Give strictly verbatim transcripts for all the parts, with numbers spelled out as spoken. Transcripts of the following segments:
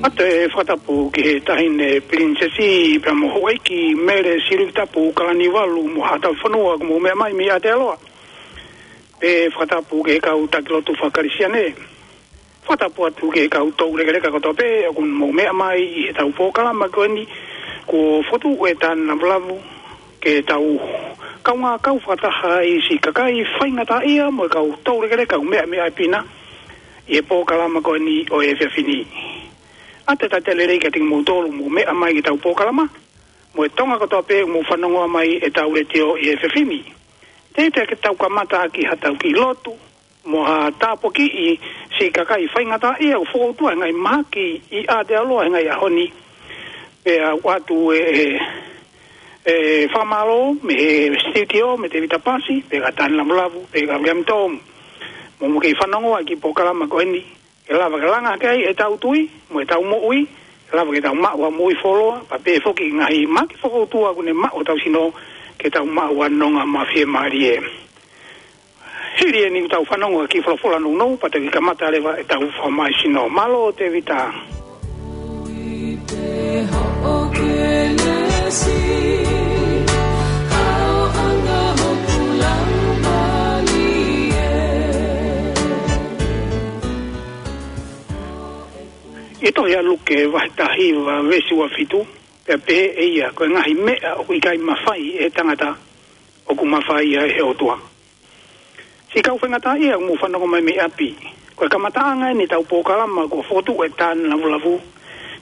ʻOatu e fakatapu ki he Taʻahine Pilinisesi pea mo Houʻeiki Mele Silikiutapu Kalaniuvalu mo haʻa tauhi fonua kuo mou meʻa mai mei Aotearoa. Pea fakatapu ki he kau taki lotu faka-Kalisitiane. Fakatapu atu ki he kau toulekeleka kotoa pē ʻoku mou meʻa mai ʻi heʻetau polokalama ko eni kuo fokotuʻu ʻe Tāne Lavulavu ke tau kaungā kau fakataha ʻi siʻi kakai faingataʻaʻia mo e kau toulekeleka ʻoku meʻa mei ʻapi na ʻi he polokalama ko eni ʻo e efiafi ni. ʻOatu e talitali lelei kiate kimoutolu ʻoku mou meʻa mai ki heʻetau polokalama, mo e Tonga kotoa pē ʻoku mou fanongoa mai ʻetau letiō ʻi he efiafi ni. Teʻeki ke tau kamata ʻaki haʻatau kiʻi lotu mo ha tāpuakiʻi siʻi kakai faingataʻaʻia ʻoku fokoutua he ngaahi mahaki ʻi Aotearoa he ngaahi ʻaho ni. Pea ʻoatu e, e, e fakamālō mei he sitiutiō, mei Tēvita Pasi, pea kia Tāne Lavulavu, pea kia William Tom. Mou kei fanongoa ki he polokalama ko eni, ke lava ke langa hake ai ʻetau tui mo ʻetau moʻui, ke lava ke tau maʻu ha moʻui fuoloa, pea pehē foki ki he ngaahi mahaki fokoutua ʻoku ne maʻu hotau sino, ke tau maʻu ha nonga mafiemālie. Hili eni ʻoku tau fanongo ki he folofola nounou, pea tau kiʻi kamata leva ʻetau fakamālohisino. Mālō Tēvita. ʻI he tohi ʻa Luke vahe taha hiva veesi ua fitu, pea pehē ʻe ia, ko e ngaahi meʻa ʻoku ʻikai mafai ʻe he tangata, ʻoku mafai ia ʻe he ʻOtua. Siʻi kau faingataʻaʻia ʻoku mou fanongo mai mei ʻapi, ko e kamataʻanga eni ʻetau polokalama kuo fokotuʻu ʻe Tāne Lavulavu,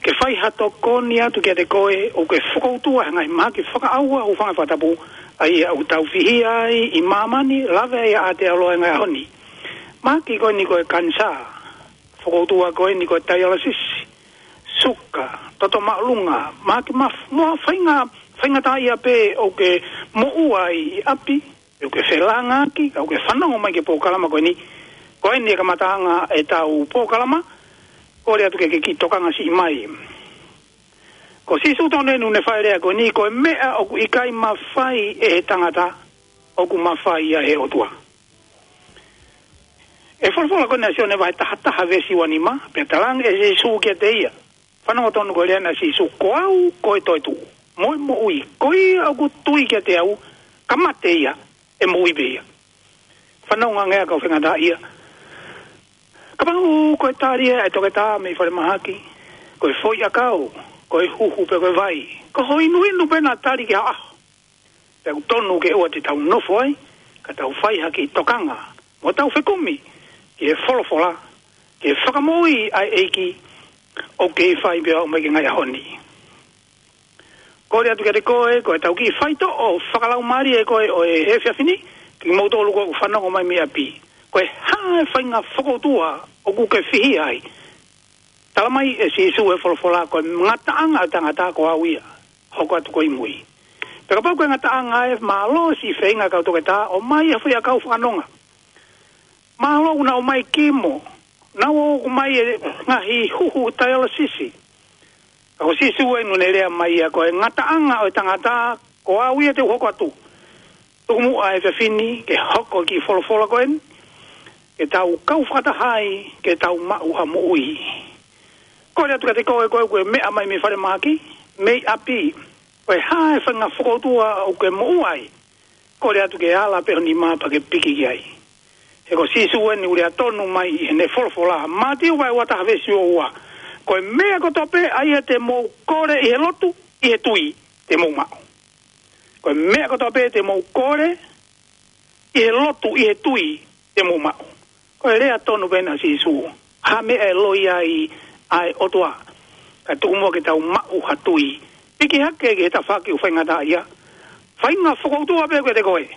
ke fai ha tokoni atu kiate koe ʻoku ke fokoutua he ngaahi mahaki fakaʻauha, hūfanga he fakatapu, ʻa ia ʻoku tau fihia ai ʻi māmani, lave ai ʻa Aotearoa he ngaahi ʻaho ni. Mahaki ko eni ko e kanisā, fokoutua ko eni ko e taialasisi, suka, toto māʻolunga, mahaki maf-, mo ha fainga-, faingataʻaʻia pē ʻoku ke moʻua ai ʻi ʻapi, ʻoku ke felāngaaki, ka ʻoku ke fanongo mai ki he polokalama ko eni. Ko eni e kamataʻanga ʻetau polokalama, kole atu ke ke kiʻi tokanga siʻi mai. Ko Sīsū tonu eni ʻoku ne fai e lea ko eni, ko e meʻa ʻoku ʻikai mafai ʻe he tangata, ʻoku mafai ia ʻe he ʻOtua. ʻI he folofola ko eni ʻa Sione vahe taha taha veesi ua nima, pea talaange ʻe Sīsū kiate ia. Fanongo tonu ki he lea ʻa Sīsū, ko au ko e toetuʻu mo e moʻui, ko ia ʻoku tui kiate au, ka mate ia, ʻe moʻui pē ia. Fanongo ange ā kau faingataʻaʻia. Kapau ko e tali ʻa e toketā mei falemahaki, ko e foʻi ʻakau, ko e huhu pe ko e vai, ko ho inuinu pē naʻa tali ki ha ʻaho. Pea ʻoku tonu ke ʻoua te tau nofo ai, ka tau fai ha kiʻi tokanga, mo tau fekumi ki he folofola, ki he fakamoʻui ʻa e ʻEiki, ʻoku kei fai pea ʻomai ki he ngaahi ʻaho ni. Kole atu kiate koe, ko ʻetau kiʻi faitoʻo fakalaumālie ko ē ʻo e efiafi ni, kimoutolu ʻoku fanongo mai mei ʻapi. Ko e hā e faʻahinga fokoutua ʻoku ke fihia ai? Tala mai ʻe Sīsū he folofola, ko e ngataʻanga ʻo e tangata ko au ia, hoko atu ko e mui. Pea kapau ko e ngataʻanga ē, mālō siʻi feinga kau toketā, ʻomai ha foʻi ʻakau fakanonga. Mālō ʻoku nau ʻomai kimo, nau ō ʻomai e ngaahi huhu taialasisi. Ka ko Sīsū eni ʻoku ne lea mai ia, ko e ngataʻanga ʻo e tangata, ko au ia te u hoko atu. Tuku muʻa e efiafi ni ke hoko e kiʻi folofola ko eni, ke tau kau fakataha ai, ke tau maʻu ha moʻui. Kole atu kiate koe, ko ē ʻoku ke meʻa mai mei falemahaki, mei ʻapi, ko e hā e faʻahinga fokoutua ʻoku ke moʻua ai? Kole atu ke ala pē ho nima pea ke piki ki ai. He ko Sīsū eni ʻoku lea tonu mai ʻi heʻene folofola, Mātiu vahe ua taha veesi ua ua, ko e meʻa kotoa pē ʻa ia te mou kole ʻi he lotu, ʻi he tui, te mou maʻu. Ko e meʻa kotoa pē te mou kole ʻi he lotu, ʻi he tui, te mou maʻu. Ko e lea tonu pē ena ʻa Sīsū. Hā e meʻa ʻe loi ai ʻa e ʻOtua? Ka tuku muʻa ke tau maʻu ha tui. Piki hake ki he tafaʻaki ʻoku faingataʻaʻia. Faʻahinga fokoutua pē kiate koe.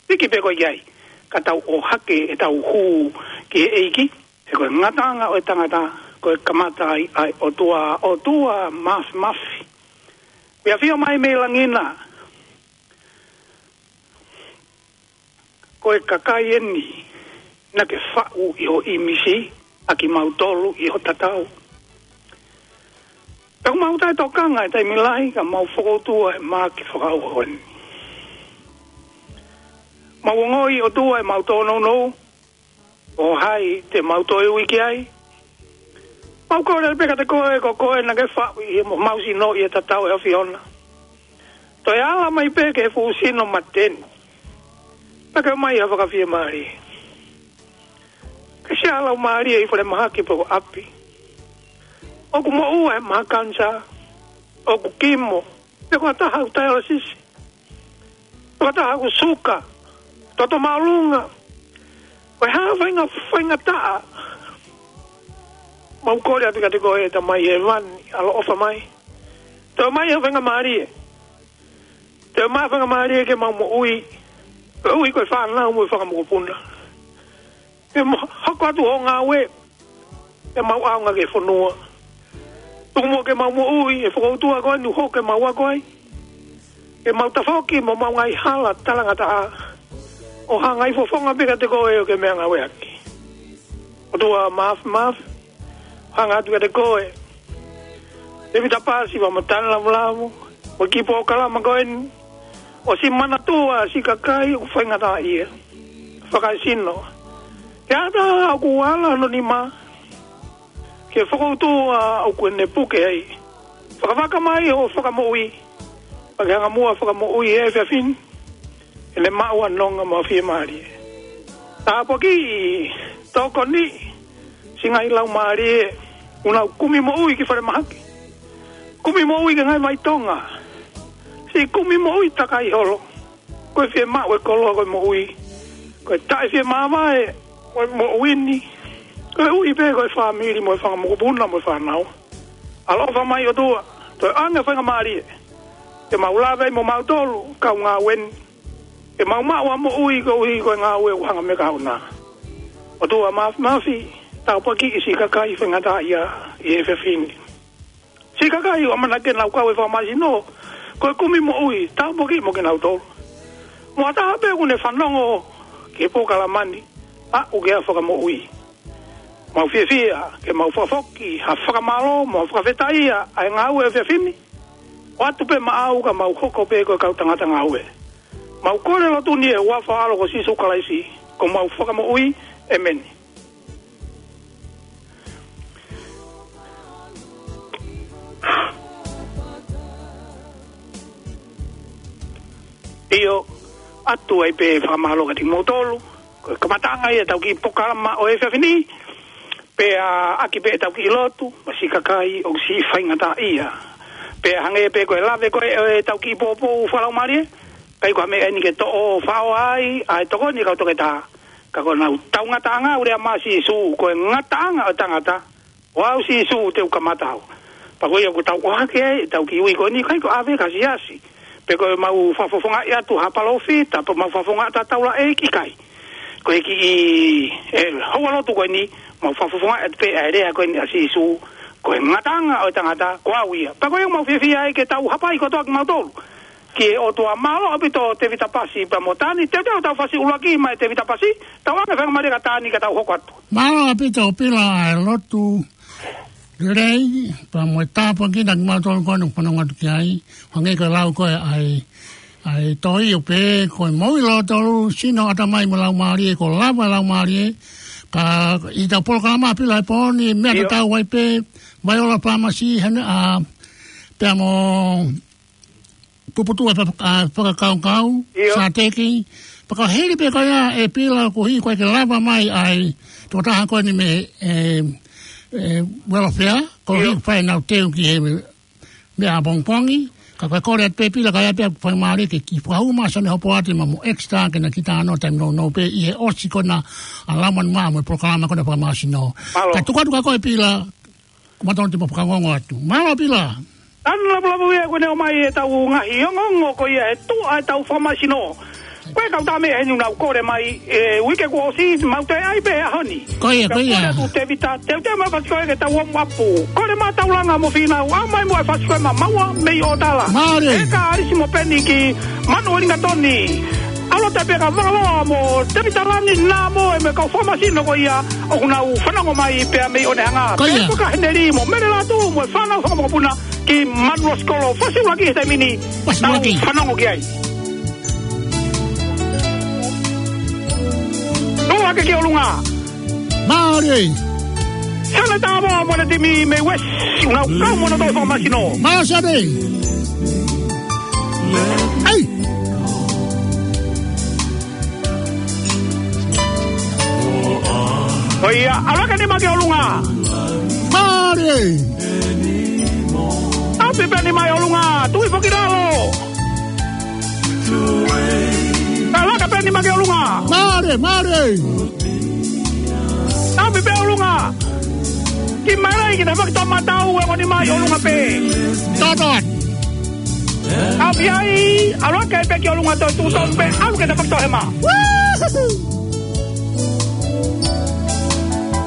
Piki pē koe ki ai. Ka tau ʻohake ʻetau hū ki he ʻEiki. He ko e ngataʻanga ʻo e tangata, ko e kamata ai ʻa e ʻOtua, ʻOtua Māfimafi. Pea ʻafio mai mei langi na. Ko e kakai eni naʻa ke faʻu ʻi ho ʻīmisi, ʻa kimautolu ʻi ho tatau. Pea ʻoku mau taʻetokanga he taimi lahi ka mau fokoutua he mahaki fakaʻauha ko eni. Mau ongoʻi ʻOtua ʻemau tōnounou, ko hai te mau toe ui ki ai? Mau kole pē kiate koe, ko koe naʻa ke faʻu ʻi homau sino ʻi he tatau ʻa e ʻAfiona. Toe ala mai pē ki he fuʻu sino mate ni. Pea ke ʻomai ha fakafiemālie. Ke siʻa laumālie ʻi falemahaki pe ko ʻapi. ʻOku moʻua he maha kanisā. ʻOku kimo. Pe ko ha taha ʻoku taialasisi. Pe ko ha taha ʻoku suka. Toto māʻolunga. Ko e hā e faʻahinga, faʻahinga taʻu. Mau kole atu kiate koe Tamai Hēvani, ʻaloʻofa mai. Toe ʻomai ha faingamālie. Toe ʻomai ha faingamālie ke mau moʻui. Moʻui ko e fānau mo e fanga mokopuna. Ke mau hoko atu hoʻo ngāue. Ke mau ʻaonga ki he fonua. Tuku muʻa ke mau moʻui, ʻe fokoutua ko eni ʻoku hoko ke mau ako ai. Ke mau tafoki mo homau ngaahi hala talangataʻa. ʻO hanga ʻi fofonga pē kiate koe ʻo ke meʻangāueʻaki. ʻOtua Māfimafi, hanga atu kiate koe. Tēvita Pasi, Fakamotani Lavulavu, ʻo ki he polokalama ko eni. ʻOsi manatua siʻi kakai ʻoku faingataʻaʻia. Fakaesino. Ke ʻata ʻoku ala hono nima. Ke fokoutua ʻoku ne puke ai. Fakavaka mai hoʻo fakamoʻui. Pea ke hanga muʻa ʻo fakamoʻui he efiafi ni. ʻEne maʻu ʻa e nonga mo e fiemālie. Tāpuakiʻi, tokoniʻi, siʻi ngaahi laumālie, ʻoku nau kumi moʻui ki falemahaki. Kumi moʻui ki he ngaahi vai Tonga. Siʻi kumi moʻui takai holo. Ko e fiemaʻu ʻe he koloa ko e moʻui. Ko e taʻefiemāvae, ko e moʻui ni. Ko e ui pē ko e fāmili mo e fanga mokopuna mo e fānau. ʻAloʻofa mai ʻOtua, toe ʻoange faingamālie. Ke mau lave ai mo mautolu, kau ngāue ni. Ke mau maʻu ʻa e moʻui koeʻuhi ko e ngāue ʻoku hanga mei he kahaʻu na. ʻOtua Māfimafi, tāpuakiʻi siʻi kakai faingataʻaʻia ʻi he efiafi ni. Siʻi kakai ʻoku ʻamanaki ke nau kau he fakamāsino, ko e kumi moʻui, tāpuakiʻi mo kinautolu. Mo ha taha pē ʻoku ne fanongo ki he polokalama ni, aʻu ki ha fakamoʻui. Mau fiefia, ke mau fakafoki, ha fakamālō, mo ha fakafetaʻi ʻa e ngāue he efiafi ni. ʻOatu pē maʻau ka mau hoko pē ko e kau tangata ngāue. Mau kole lotu ni ʻi he huafa ʻo e ʻAlo ko Sīsū Kalaisi, ko homau Fakamoʻui, ʻēmeni. ʻIo, ʻoatu ai pē fakamālō kiate kimoutolu, ko e kamataʻanga ia ʻetau kiʻi polokalama ʻo e efiafi ni, pea ʻaki pē ʻetau kiʻi lotu, mo siʻi kakai ʻoku siʻi faingataʻaʻia. Pea hangē pē ko e lave ko ē ʻo ʻetau kiʻi poupou fakalaumālie, ʻikai ko ha meʻa eni ke toʻo faʻo ai ʻa e tokoni ʻa e kau toketā. Ka ko honau tau ngataʻanga ʻoku lea mai ʻa Sīsū, ko e ngataʻanga ʻo e tangata, ko au Sīsū te u kamata au. Pea ko ia ʻoku tau ʻohake ai ʻetau kiʻi ui ko eni, ʻikai ko e ʻave ki ha siasi. Pe ko ʻemau fakafofongaʻi atu ha palōfita, pe ʻemau fakafofongaʻi atu ha taulaʻeiki, ʻikai. Ko e kiʻi, ē, houa lotu ko eni, mau fakafofongaʻi atu pē ʻa e lea ko eni ʻa Sīsū, ko e ngataʻanga ʻo e tangata, ko au ia. Pea ko ia ʻoku mau fiefia ai ke tau hapai kotoa kimautolu ki he ʻOtua. Mālō ʻaupito Tēvita Pasi pea mo Tani, teuteu ʻetau fasi ʻuluaki mai Tēvita Pasi, tau ʻoange faingamālie kia Tani ka tau hoko atu. Mālō ʻaupito Pila ʻa e lotu lelei, pea mo e tāpuaki kiate kimautolu ko eni ʻoku fanongo atu ki ai, hangē ko e lau ko ē ʻa e, ʻa e tohi ʻoku pehē, ko e moʻui lōtolu, sino, ʻatamai mo e laumālie, kuo lava e laumālie, ka ʻi heʻetau polokalama Pila he pō ni, meʻa ʻIo. Tatau ai pē, Vaiola Pāmasi, hene, ʻa, pea mo Puputuʻu ʻa e faka-, ʻa e fakakaukau, ʻIo. Sāteki, pea ka hili pē ko ia ʻe Pila koeʻuhi ko e ke lava mai ai, tokotaha ko eni mei he, ē, ē, welfare, koeʻuhi ʻIo. Fai ʻenau teu ki he meʻa ʻapongipongi, ka ko e kole atu pē Pila ka ʻi ai pē ha faingamālie ke kiʻi fakaʻumaʻā Sione Hopoate mo Exeter ke na kiʻi talanoa taimi nounou pē ʻi he ʻosi ko ena ʻa e Laumālie Māʻoniʻoni mo e polokalama ko ena fakamāsino. Mālō. Ka tuku atu kia koe Pila, Ko e tonu te mau fakaongoongo atu. Mālō Pila. Tanu Lavulavu ia kuo ne ʻomai ʻetau ngaahi ongoongo ko ia he tuʻa ʻetau fakamāsino. Ko e kau tama eni ʻoku nau kole mai he uike kuo ʻosi, mau toe ʻai pē he ʻaho ni. Ko ia, ko ia. Kole atu Tēvita, teuteu mai fasi ko ē ke tau omu apu. Kole mai Taulanga mo Fīnau, ʻomai muʻa e fasi ko ē maʻamaua mei ʻOtala. Mālō. ʻE ka ʻAlisi mo Peni ki Manu ʻo Lingatoni. ʻAlu atu pē kia Valoa mo Tēvita Lani, naʻa mo e meʻa kau fakamāsino ko ia ʻoku nau fanongo mai pea mei ʻOnehunga. Ko ia. Pea ko kia Heneli mo Mele Latu mo e fānau fakamokopuna ki Manuʻa Sikolo. Fasi ʻuluaki he taimi ni. Fasi ʻuluaki. Tau fanongo ki ai. Tau hake ki ʻolunga. Mālō. Sane tā mo, mo e timi mei West, ʻoku nau kau mo hono tolu fakamasino. Mālō Sane. ʻEi. ʻOiauē, ʻalu hake e nima ki ʻolunga. Mālie. Api pē e nima ki ʻolunga, tui foki ki lalo. ʻAlu hake pē e nima ki ʻolunga. Mālie, mālie. Api pē ʻolunga. Kiʻi maile ki he tafaʻaki toʻomataʻu, ongo nima ʻi ʻolunga pē. Tōtō. Api ai, ʻalu hake pē ki ʻolunga, toe tuʻu tonu pē, ʻalu ki he tafaʻaki toʻohema.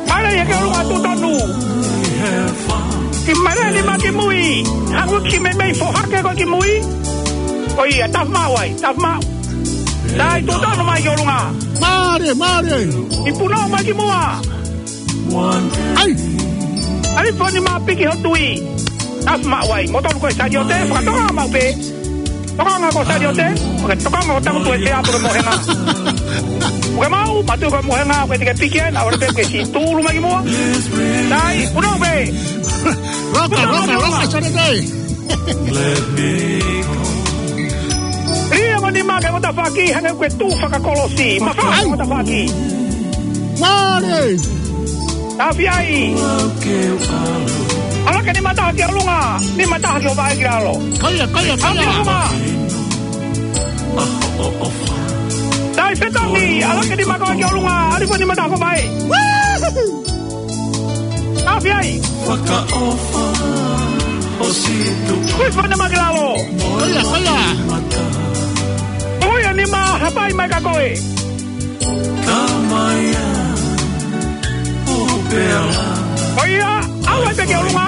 Maile ia ki ʻolunga, tuʻu tonu. Kiʻi maile e nima ki mui. Hangē kiʻi meimei foha hake ko ē ki mui. ʻOiauē, tafa maʻu ai, tafa maʻu. Sai, tuʻu tonu mai ki ʻolunga. Mālie, mālie. Kiʻi punou mai ki muʻa. ʻEi. ʻAlu hake e nima piki hoʻo tui. Tafa maʻu ai. Mo tolu ko e Saliote, fakatoka maʻu pē. Tokanga ko Saliote, ʻoku ke tokanga ko Tangutu ʻEsea pe ko e Mohenga. ʻOku ke maʻu, mātuʻa ko e Mohenga, ʻoku ke teke piki ē, naʻa ʻoku ke piki ē, siʻi tūʻulu mai ki muʻa. Sai, punou pē. Roka, roka, roka, Saliote. Lī e ongo nima ki he ongo tafaʻaki, hangē ʻoku ke tuʻu fakakolosi. Mafaha e ongo tafaʻaki. Mālie. Api ai. ʻAlu hake e nima taha ki ʻolunga, nima taha ki hoʻo vaʻe ki lalo. Kaia, kaia, kaia. Api ʻolunga. Sai fetongi, ʻalu hake e nima ko ē ki ʻolunga, ʻalu hake e nima taha ki hoʻo vaʻe. Api ai. Fakaʻofa, ʻosi tuʻu. Kui fana ma ki lalo. Kaia, kaia. Kui e nima hapai mai kia koe. Tamaia, ʻo pea. ʻOiauē, ʻalu ai pē ki ʻolunga.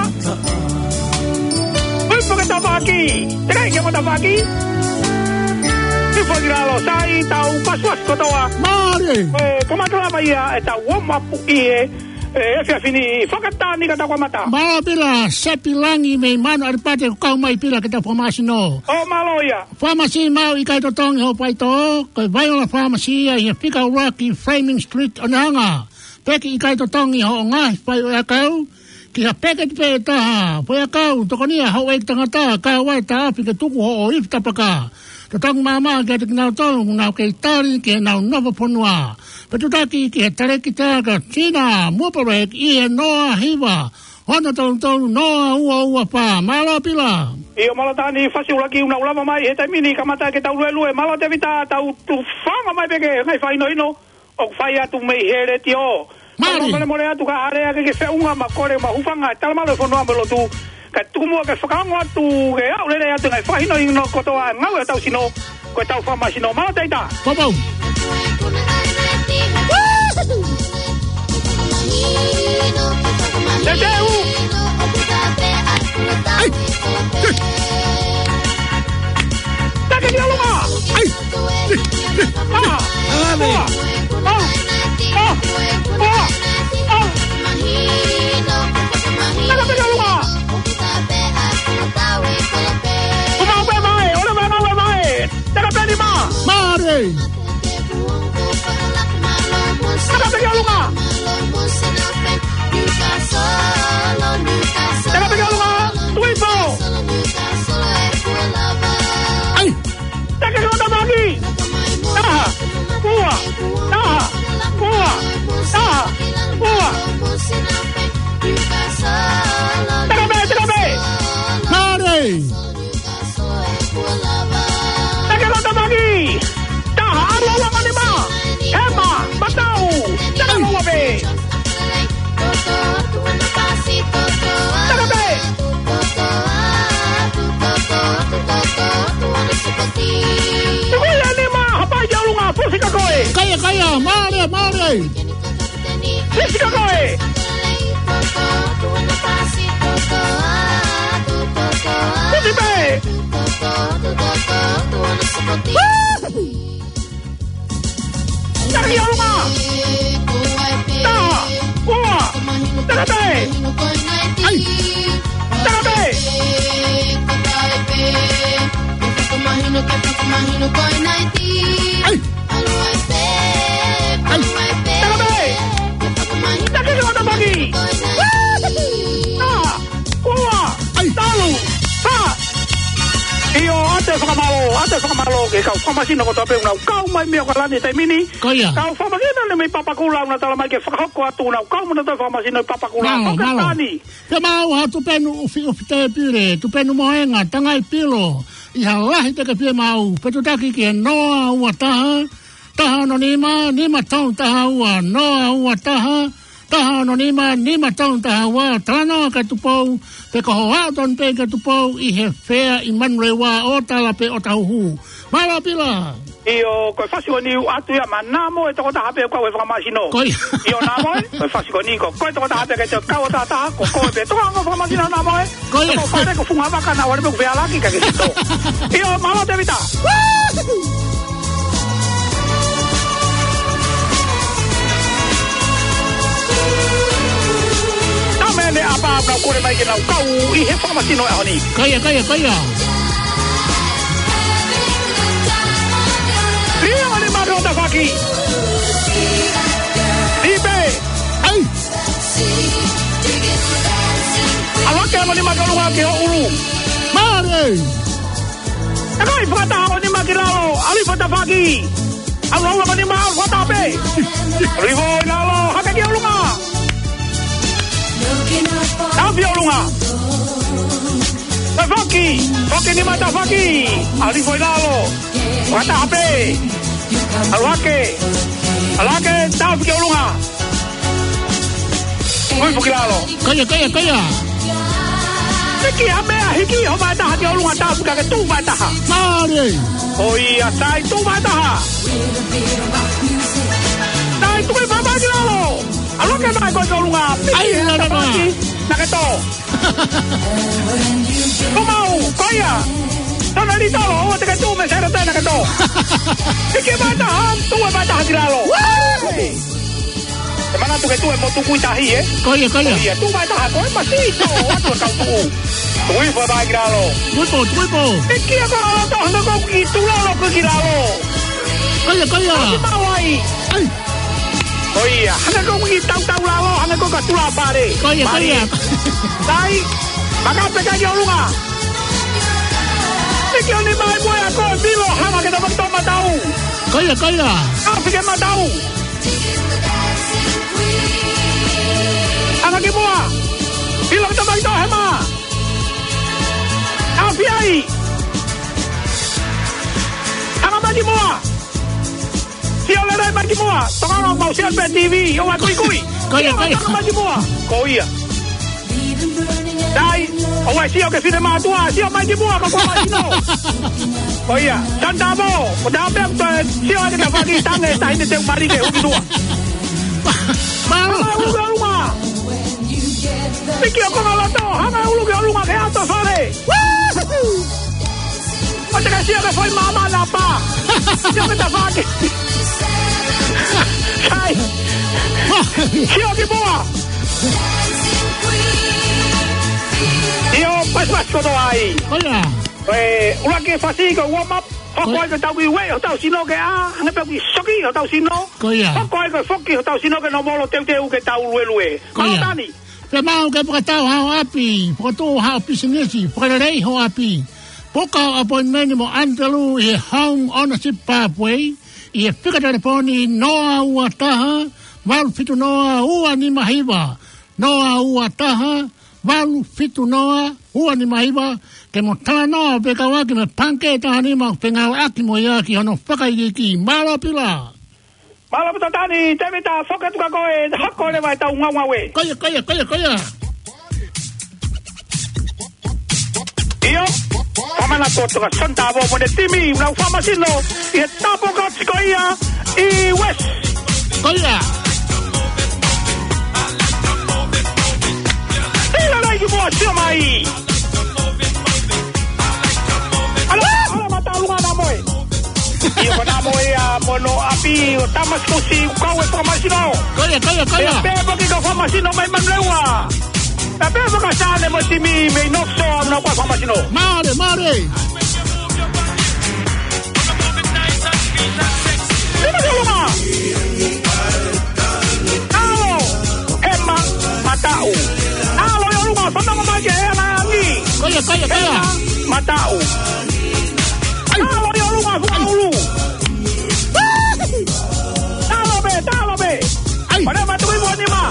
Kui fo ki he tafaʻaki. Teʻeki ke mo tafaʻaki. Kui fo ki lalo, sai, tau pasuasi kotoa. Mālie. ʻE, kamata lava ia ʻetau warm up ʻi he, ʻe, efiafi ni, fakatani ka tau kamata. Mālō Pila, Sepi Langi mei Manu ʻAlipate, ʻoku kau mai Pila ke tau fakamasino. ʻO mālō ia. Pharmacy maʻu ʻikai totongi hoʻo faitoʻo, ko e Vaiola Pharmacy ia ʻi he fika ʻuluaki Fleming Street ʻOnehunga. Pea ʻikai totongi hoʻo ngaahi faiako, ki ha peketi pē ʻe taha, faiako, tokonia houʻeiki tangata, kae ʻoua ʻe taʻofi ke tuku hoʻo ifi tapaka. Totongi maʻamaʻa kiate kinautolu ʻoku nau kei tali ki heʻenau nofo fonua. Pea tutaki ki he talēkita ko Sina Muapolek ʻi he noa hiva, ono tolu tolu, noa ua ua fā. Mālō Pila. ʻIo, mālō Tani, fasi ʻuluaki ʻoku nau lava mai he taimi ni, kamata ke tau luelue. Mālō Tēvita, tau tuʻu fanga mai pē ki he ngaahi fakahinohino ʻoku fai atu mei he letiō. Mālie. Tau molemole atu ka ʻi ai ha lea ke ke feʻunga mo kole mo hūfanga, talamalu e fonua mo e lotu. Kae tuku muʻa ke fakaongo atu ke aʻu lelei atu e ngaahi fakahinohino kotoa e ngāue ʻa hotau sino, ko ʻetau fakamasino. Mālō Tēvita. Pau pau. Te te u. ʻEi. Take ki ʻolunga. ʻEi. Taha. Ua. Ua. Ua. Ua. Taka pē ki ʻolunga. Ua mau pē mai, ʻo leva e ngāue mai. Taka pē e nima. Mālie. Taka pē ki ʻolunga. Taka pē ki ʻolunga. Tui pē. ʻEi. Taka ki he ongo tafaʻaki. Taha. Ua. Taha. Ua. Taha. Ua. Taka pē, taka pē. Mālie. Taka ki he ongo tafaʻaki. Taha, ʻalu ua mo e nima. Hema, matau. Taka mo ua pē. Taka pē. Tuku ia e nima, hapai ki ʻolunga, fusi kia koe. Kaia, kaia, mālie, mālie. Fusi kia koe. Fusi pē. Taki ʻolunga. Taha. Ua. Taka pē. ʻEi. Taka pē. ʻEi. ʻEi. Taka pē. Taki ki he ongo tafaʻaki. Fakamālō ki he kau fakamasino kotoa pē ʻoku nau kau mai mei ʻAokalani he taimi ni. Ko ia. Kau fakamasino mei Papakura ʻoku nau tala mai ke fakahoko atu ʻenau kau mo ʻenau fakamasino ʻi Papakura. Mālō, mālō. Fakatani. Pea maʻu ha tupenu ʻufiʻufi tēpile, tupenu mohenga, tangai pilo, ʻi ha lahi teke pē maʻu, pea tutaki ki he noa ua taha, taha ono nima, nima tolu taha ua, noa ua taha, taha ono nima, nima tolu taha ua, talanoa kia Tupou, pe ko hoʻo aʻu tonu pē kia Tupou ʻi he fea ʻi Manurewa ʻo tala pē ʻo tahuhu. Mālō Pila. ʻIo, ko e fasi ko eni ʻoatu ia maʻa Namoe, tokotaha pē ʻoku kau he fakamasino. Ko ia. ʻIo Namoe, ko e fasi ko eni ko koe tokotaha pē ke te kau ʻo tahataha, ko koe pē tokotaha fakamasino Namoe. Ko ia. Ko fale ko Fungavaka naʻa ʻoku ʻi ai pē ʻeku fealaki ka ke sito. ʻIo, mālō Tēvita. Naʻa mene apa na kore mai ke nau kau ʻi he fakamasino ʻaho ni. Ko ia, ko ia, ko ia. Lio ni mato tafaki. Lipe. Ai. ʻAlu hake mo e nima ki ʻolunga ki hoʻo ʻulu. Mālō. ʻE kai fakataha mo e nima ki lalo, ʻalu hifo e tafaʻaki. ʻAlu holo mo e nima, ʻalu fakataha pē. ʻAlu hifo ʻi lalo, hake ki ʻolunga. Tafi ʻolunga. Tafaʻaki, foki e nima tafaʻaki. ʻAlu hifo ʻi lalo. Fakataha pē. ʻAlu hake. ʻAlu hake, tafi ki ʻolunga. Ui, foki lalo. Ko ia, ko ia, ko ia. Hiki ha meʻa, hiki hoʻo vaʻe taha ki ʻolunga, tafi ka ke tuʻu vaʻe taha. Mālie. ʻOi, ʻa sai, tuʻu vaʻe taha. Sai, tuʻu vaʻe taha ki lalo. ʻAlu hake mai ko e ki ʻolunga. Ai, la, la, la. Naʻa ke tō. Ko mau, ko ia. Tana li talo, ʻoua te ke tuʻu mei Sailate, naʻa ke tō. Hiki vaʻe taha, tuʻu vaʻe taha ki lalo. Wee! ʻE manatu ke tuʻu e motu kui tahi, ē? Ko ia, ko ia. Ko ia, tuʻu vaʻe taha, ko e masi, tō, atu e kau tuʻu. Tuʻu hifo e vaʻe ki lalo. Tuʻu hifo, tuʻu hifo. Hiki ā ko lalo, tō, hanga ko ki tuʻu lalo, ko ki lalo. Ko ia, ko ia. Ko ki mau ai. Ai. Ko ia, hanga ko ki tautau lalo, hanga ko ka tula pare. Ko ia, ko ia. Pare. Sai, maka peka ki ʻolunga. Hiki ʻo nima ʻi muʻa ʻa koe, Pilo, hanga ke tapa ki tō matau. Ko ia, ko ia. Ka fike matau. Hanga ki muʻa. Pilo ke tapa ki tō hema. Afi ai. Hanga mai ki muʻa. Sio lelei mai ki muʻa. Tokanga mau sio pē TV. ʻOua kuikui. Ko ia, ko ia. Tokanga mai ki muʻa. Ko ia. Dai, ʻoua sio ki he fine mātuʻa, sio mai ki muʻa, ko koe mai sino. Ko ia, Santamo, ko tā pē ʻoku toe sio ake ta faki tange, taʻahine teu marike, huki tua. Mālō. Hanga ʻo ʻulu ki ʻolunga. Hiki ʻo konga loto, hanga ʻo ʻulu ki ʻolunga ke ato fale. Woohoo! ʻOua te ke sio ki he foʻi māmā naʻa pā. Sio ki he tafaʻaki. Sai. Sio ki muʻa. ʻIo, pasipasi kotoa ai. Ko ia. ʻE, ʻuluaki fasi ko e warm up. Hoko ai ko e tau kiʻi ueʻi hotau sino ke ʻā, hangē pē ko e kiʻi soki hotau sino. Ko ia. Hoko ai ko e foki hotau sino ke nōmolo teuteu ke tau luelue. Ko ia. Mālō Tani. Pea maʻu ke fakatau haʻo ʻapi, fakatuʻu haʻo pisinisi, fakalelei ho ʻapi. Puka appointment mo Antelū ʻi he Home Ownership Pathway, ʻi he fika telefoni noa ua taha, valu fitu noa, ua nima hiva, noa ua taha, valu fitu noa, ua nima hiva, ke mo talanoa pē kau ʻaki mo e pangikē taha nima, pea ngāueʻaki mo ia ki hono fakaikiiki. Mālō Pila. Mālō Pita Tani, Tēvita, foki atu kia koe, hoko leva ʻetau ngaungaue. Ko ia, ko ia, ko ia, ko ia. ʻIo, fakamana kotoa kia Santamo mo ʻene timi, ʻoku nau fakamasino ʻi he tāpuaki ko ia ʻi West. Ko ia. Sila lai ki muʻa, sio mai. ʻAlu, ʻalu, mata ʻolunga Namoe. ʻIo, ko Namoe ia mo hono ʻapi ʻo Tamasikusi, ʻoku kau he fakamasino. Ko ia, ko ia, ko ia. Pea pehē foki ki he fakamasino mai Manurewa. Pea pehē foki kia Sane mo e timi mei North Shore, ʻoku nau kau he fakamasino. Mālō, mālō. Sila ki ʻolunga. ʻAlu, hema, mataʻu. ʻAlu ʻi ʻolunga, fanongo mai ki he ʻea langi. Ko ia, ko ia, ko ia. Hema, mataʻu. Ai. ʻAlu ʻi ʻolunga. Fukaʻulu. Talo pē, talo pē. ʻAi. Pale matu i mo nima.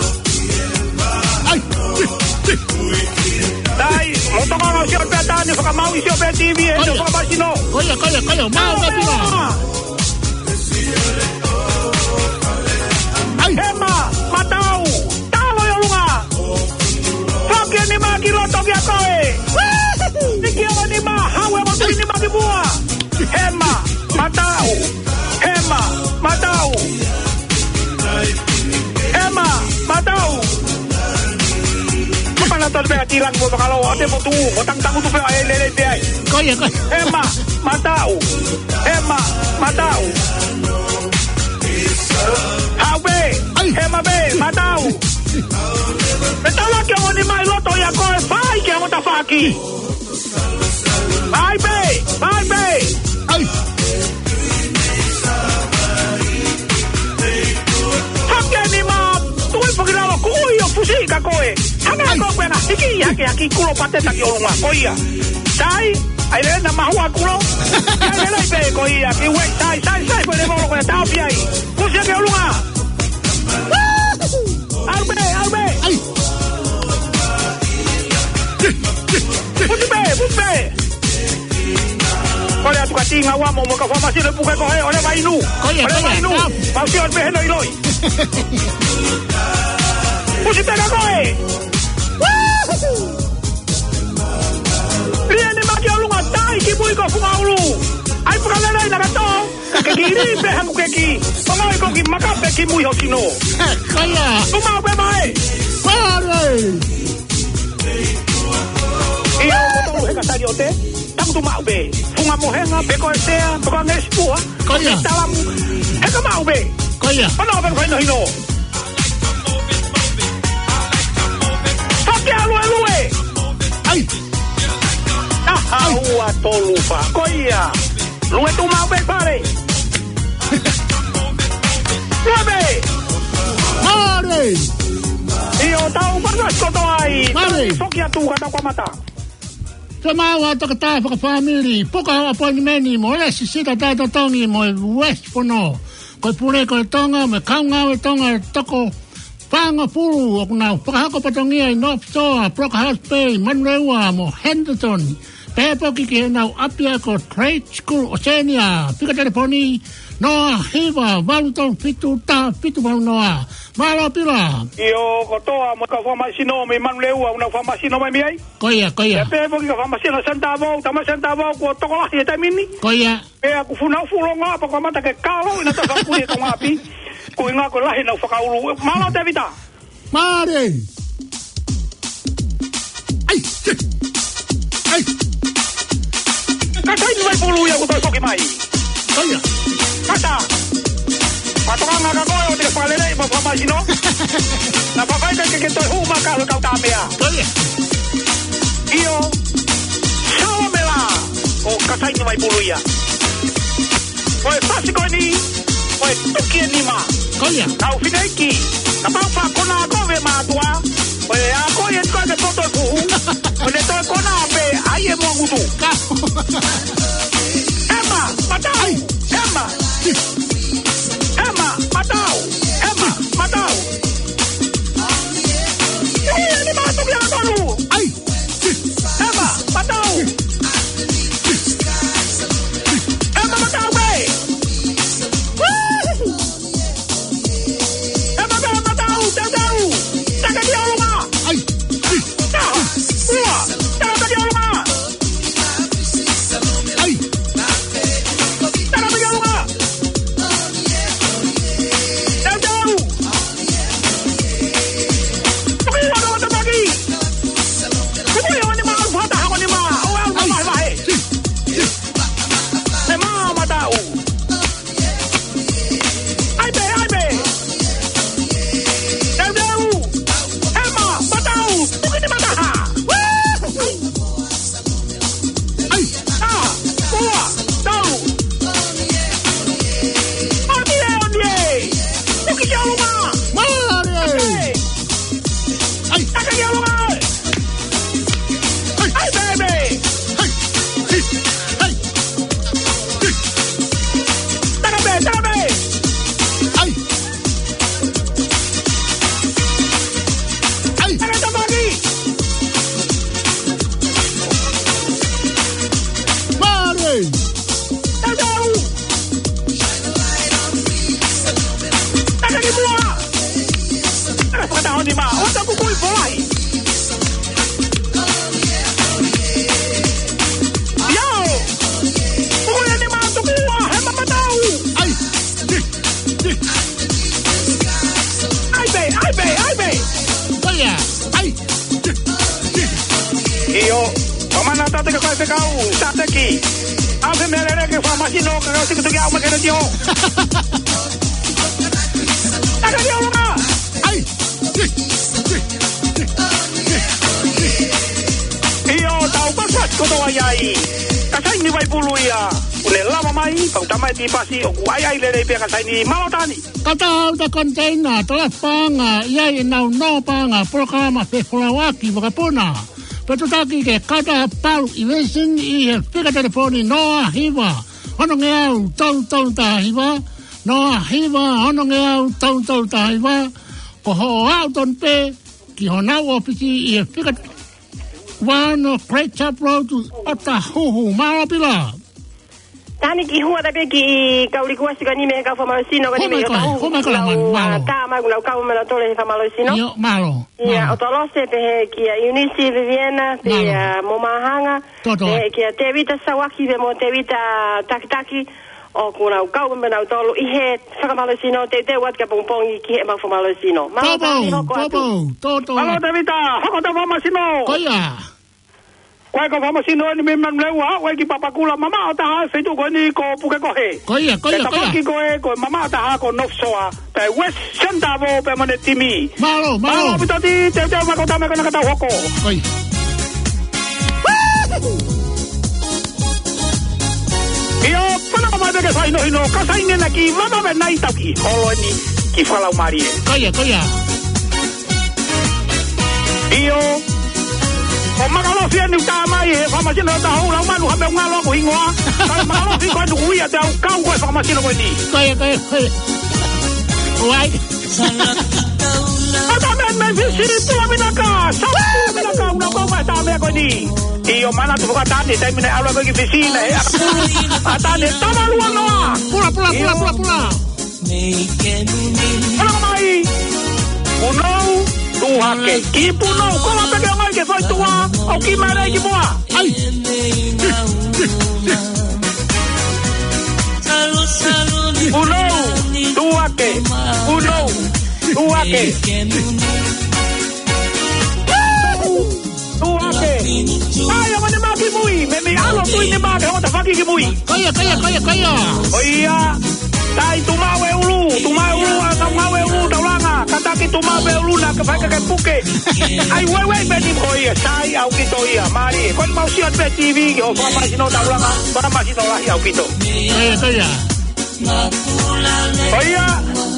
ʻAi. Tai, mo toka ngā sio pē tani, fakamau i sio pē T V, e Ko ia. Fakamau sino. Ko ia, ko ia, ko ia. Mau Talo pē, pē. ʻAi. Hema, Matau. Talo ʻi ʻolunga. Foki e nima ki loto kia koe. Niki o nima, hau e motu nima ki mua. Hema, Matau. Hema, Matau. Hema, Matau. Mana tolu pea tilang mo makalo, o te motu, mo tangtangu tu pea e lele pea ai. Ko ia, ko ia. Hema, Matau. Hema, Matau. Hau pē. ʻAi. Hema pē, Matau. Me tala ke o nima ʻi loto ia ko e fai ke o tafaki. Vai pē, vai pē. ʻAi. Hake nima, tui foki lalo kui o fusi ka koe. Hana Ai. Ko koe na hiki hake haki kulo pate taki ʻolunga ko ia. Sai, ʻai le na mahua kulo. Sai le lai pē ko ia, ki uai, sai, sai, sai, ko le molo ko ia, tau pi ai. Kusi hake ʻolunga. Au pē, au pē. ʻAi. Puti pē, puti pē. Kole atu ka tinga ua mo mo ka fama sino puke ko he, ole mai nu. Ko ia, Ole ko ia, mai nu. Tau. Mau sio pē heno iloi. Pusi pē ka koe. Lia ni maki ʻolunga tai ki mui ko Fukaʻulu. ʻAi puka lelei na ka tō. Ka ke ki ri pē haku ke ki. Ongo i ko ki maka pē ki mui ho sino. Ko ia. Tumau pē mai. Pare. ʻIo, ko tolu he ka tali o te. Tamu tumau pē. Funga mohenga, pe ko e sea, pe ko e ngesi pua. Ko ia. Talamu. He ka mau pē. Ko ia. Ono pē ko hino hino. Fake a lue lue. ʻAi. Aha, ua tolu fa. Ko ia. Lue tumau pē pare. Lue pē. Pare. ʻIo tau pata kotoa ai. Pare. Tau foki atu ka tau kamata. Te mau a tokatā fakafāmili, puka ho appointment mo Lesi Sita Taitotongi mo e West Pono. Ko e pule ko e Tonga, mo e kaungā e Tonga e toko fāngofulu ʻoku nau fakahoko potongia ʻi North Shore, Brook House Bay, Manurewa mo Henderson. Pea foki ki heʻenau ʻapiako Trade School Oceania. Fika telefoni noa hiva valu tolu fitu taha fitu valu noa. Mālō Pila. ʻIo, kotoa mo e kau fāmasino mei Manurewa, ʻoku nau fāmasino mai mei ai. Ko ia, ko ia. Pea pehē foki ka fāmasino Santa Vou, tama Santa Vou, kuo tokolahi e taimi ni. Ko ia. Pea ʻoku funau fulonga, pea kuo mata ke kalo, ʻi na ta fakuli e kau ngapi. Ko e ngā ko lahi nau fakaulu. Mālō Tevita. Pare. ʻAi. ʻAi. Ka kai ni mai pulu ia ko toi foki mai. Ko ia. Kata. Patokanga ka koe ʻo te fakalele mo fāmasino. Na papai ka ke ke toi hū ma ka lo kau tāmea. Ko ia. ʻIo. Salamela. ʻO ka kai ni mai pulu ia. Ko e fasi ko eni, ko e tuki e nima. Ko ia. Kau fineʻeiki, kapau fa kona ko ve mātuʻa, ko e a ko ia ko ke poto e puhu, ko ne toe kona pē, ʻai e mua ngutu. Ka- Hema, Matau, Ai. Hema. Hema, Matau, Hema, Matau. Ui, e nima tuki a kolu. ʻAi. Hema, Matau. Hema, Matau, pē. Hema, Matau, Matau, Matau. Taka ki ʻolunga. ʻAi. Taha, ua, taka ki ʻolunga. ʻAi. Taka ki ʻolunga. Matau. Na tau teke koe fekau, tateki. ʻAve meʻa lelei ke fakamāsino, ka kau siki tuki au ma kene tio. Taka ni ʻolunga. ʻAi. ʻIo, tau pasipasi kotoa ai. Ka saini Vaipulu ia. ʻOku ne lava mai, pau tamai ti pasi, ʻoku ʻai ʻai lelei pea ka saini Mālō Tani. Kata au ta konteina, tala paʻanga, ʻi ai ʻenau nō paʻanga, polokalama fefolauʻaki vakapuna. Pea tutaki ke kata palu i vesini ʻi he fika telefoni noa hiva, ono ngeau, tolu tolu taha hiva, noa hiva, ono ngeau, tolu tolu taha hiva, ko hoʻo aʻu tonu pē ki honau ʻōfisi ʻi he fika uano Great Sharp Road, ʻOtahuhu. Mālō Pila. Tani ki hua tape ki kau likuasi ka ni me kau fakamālō sino ka ni me Home ʻOtahuhu. Home ka la man, mālō. Tā mai kuna kau me la tole he fakamālō sino. ʻIo, mālō. Ia, mālō. ʻOtolose pehē kia Eunice Viviana, pea Mālō. Mo Mahanga, Tōtō. Pehē kia Tevita Sawaki, pea mo Tevita Takitaki, ʻoku nau kau me nau tolu ʻi he fakamālō sino, teuteu atu kia pongipongi ki he mau fakamālō sino. Mālō Tōtō, Tani, hoko atu. Tōtō, Tōtō. Mālō Tevita, hoko atu fakamālō sino. Ko ia. Ko e kau fakamālō sino eni mei Manurewa, ʻo e ki Papakura, mamaʻo taha feituʻu ko eni ko Pukekohe. Ko ia, ko ia, ko ia. Pea tafoki ko e, ko e mamaʻo taha ko North Shore, pea West Central pea mo ʻene timi. Mālō, mālō. Mālō ʻaupito Tani, teuteu mai ko tama ko na ka tau hoko. Ko ia. ʻIo, pana ka mai pē ke fai no hino, ka saini na ki vava ve nai tau ki holo eni ki Falaumālie. Ko ia, ko ia. ʻIo. ʻO Makalofi eni ʻoku tā mai he fakamālō sino ʻOtahuhu, lau manu ha meʻa ngalo ʻoku hingoa. Ka Makalofi ko eni ʻoku ʻi ai te au kau ko e fakamālō sino ko eni. Ko ia, ko ia, ko ia. ʻOi. ʻA tā meʻa mei Fisi, Pula Vinaka, Sā Pula Vinaka, ʻoku nau kau mai tā meʻa ko eni. ʻIo, manatu foki ʻa Tani, taimi naʻe ʻalu ai ko ē ki Fisi, naʻe ʻakapulu ʻa Tani, tama lua noa. Pula, pula, pula, ʻIo. Pula, pula. Pula mai. Punou, tuʻu hake. Ki Punou, ko la peke mai ke fai tua, ʻo ki mare ki mua. ʻAi. Punou, tuʻu hake. Punou, tuʻu hake. Tuʻu hake. ʻAi, ʻa mani mā ki mui. Meimei ʻalu Tuʻinima ke hota faki ki mui. Ko ia, ko ia, ko ia, ko ia. ʻOi ia. Tai Tumaʻu e ulu. Tumaʻu e ulu, ʻa Tumaʻu e ulu, Taulanga. Kātaki Tumaʻu pē ulu na, ke fai ka ke puke. ʻAi, ueue pē ni ko ia. Sai ʻaupito ia. Mālie. Ko eni mau sio pē TV ki hoʻo fakamālō sino Taulanga. Fakamālō sino lahi ʻaupito. Ko ia, ko ia. ʻOi ia,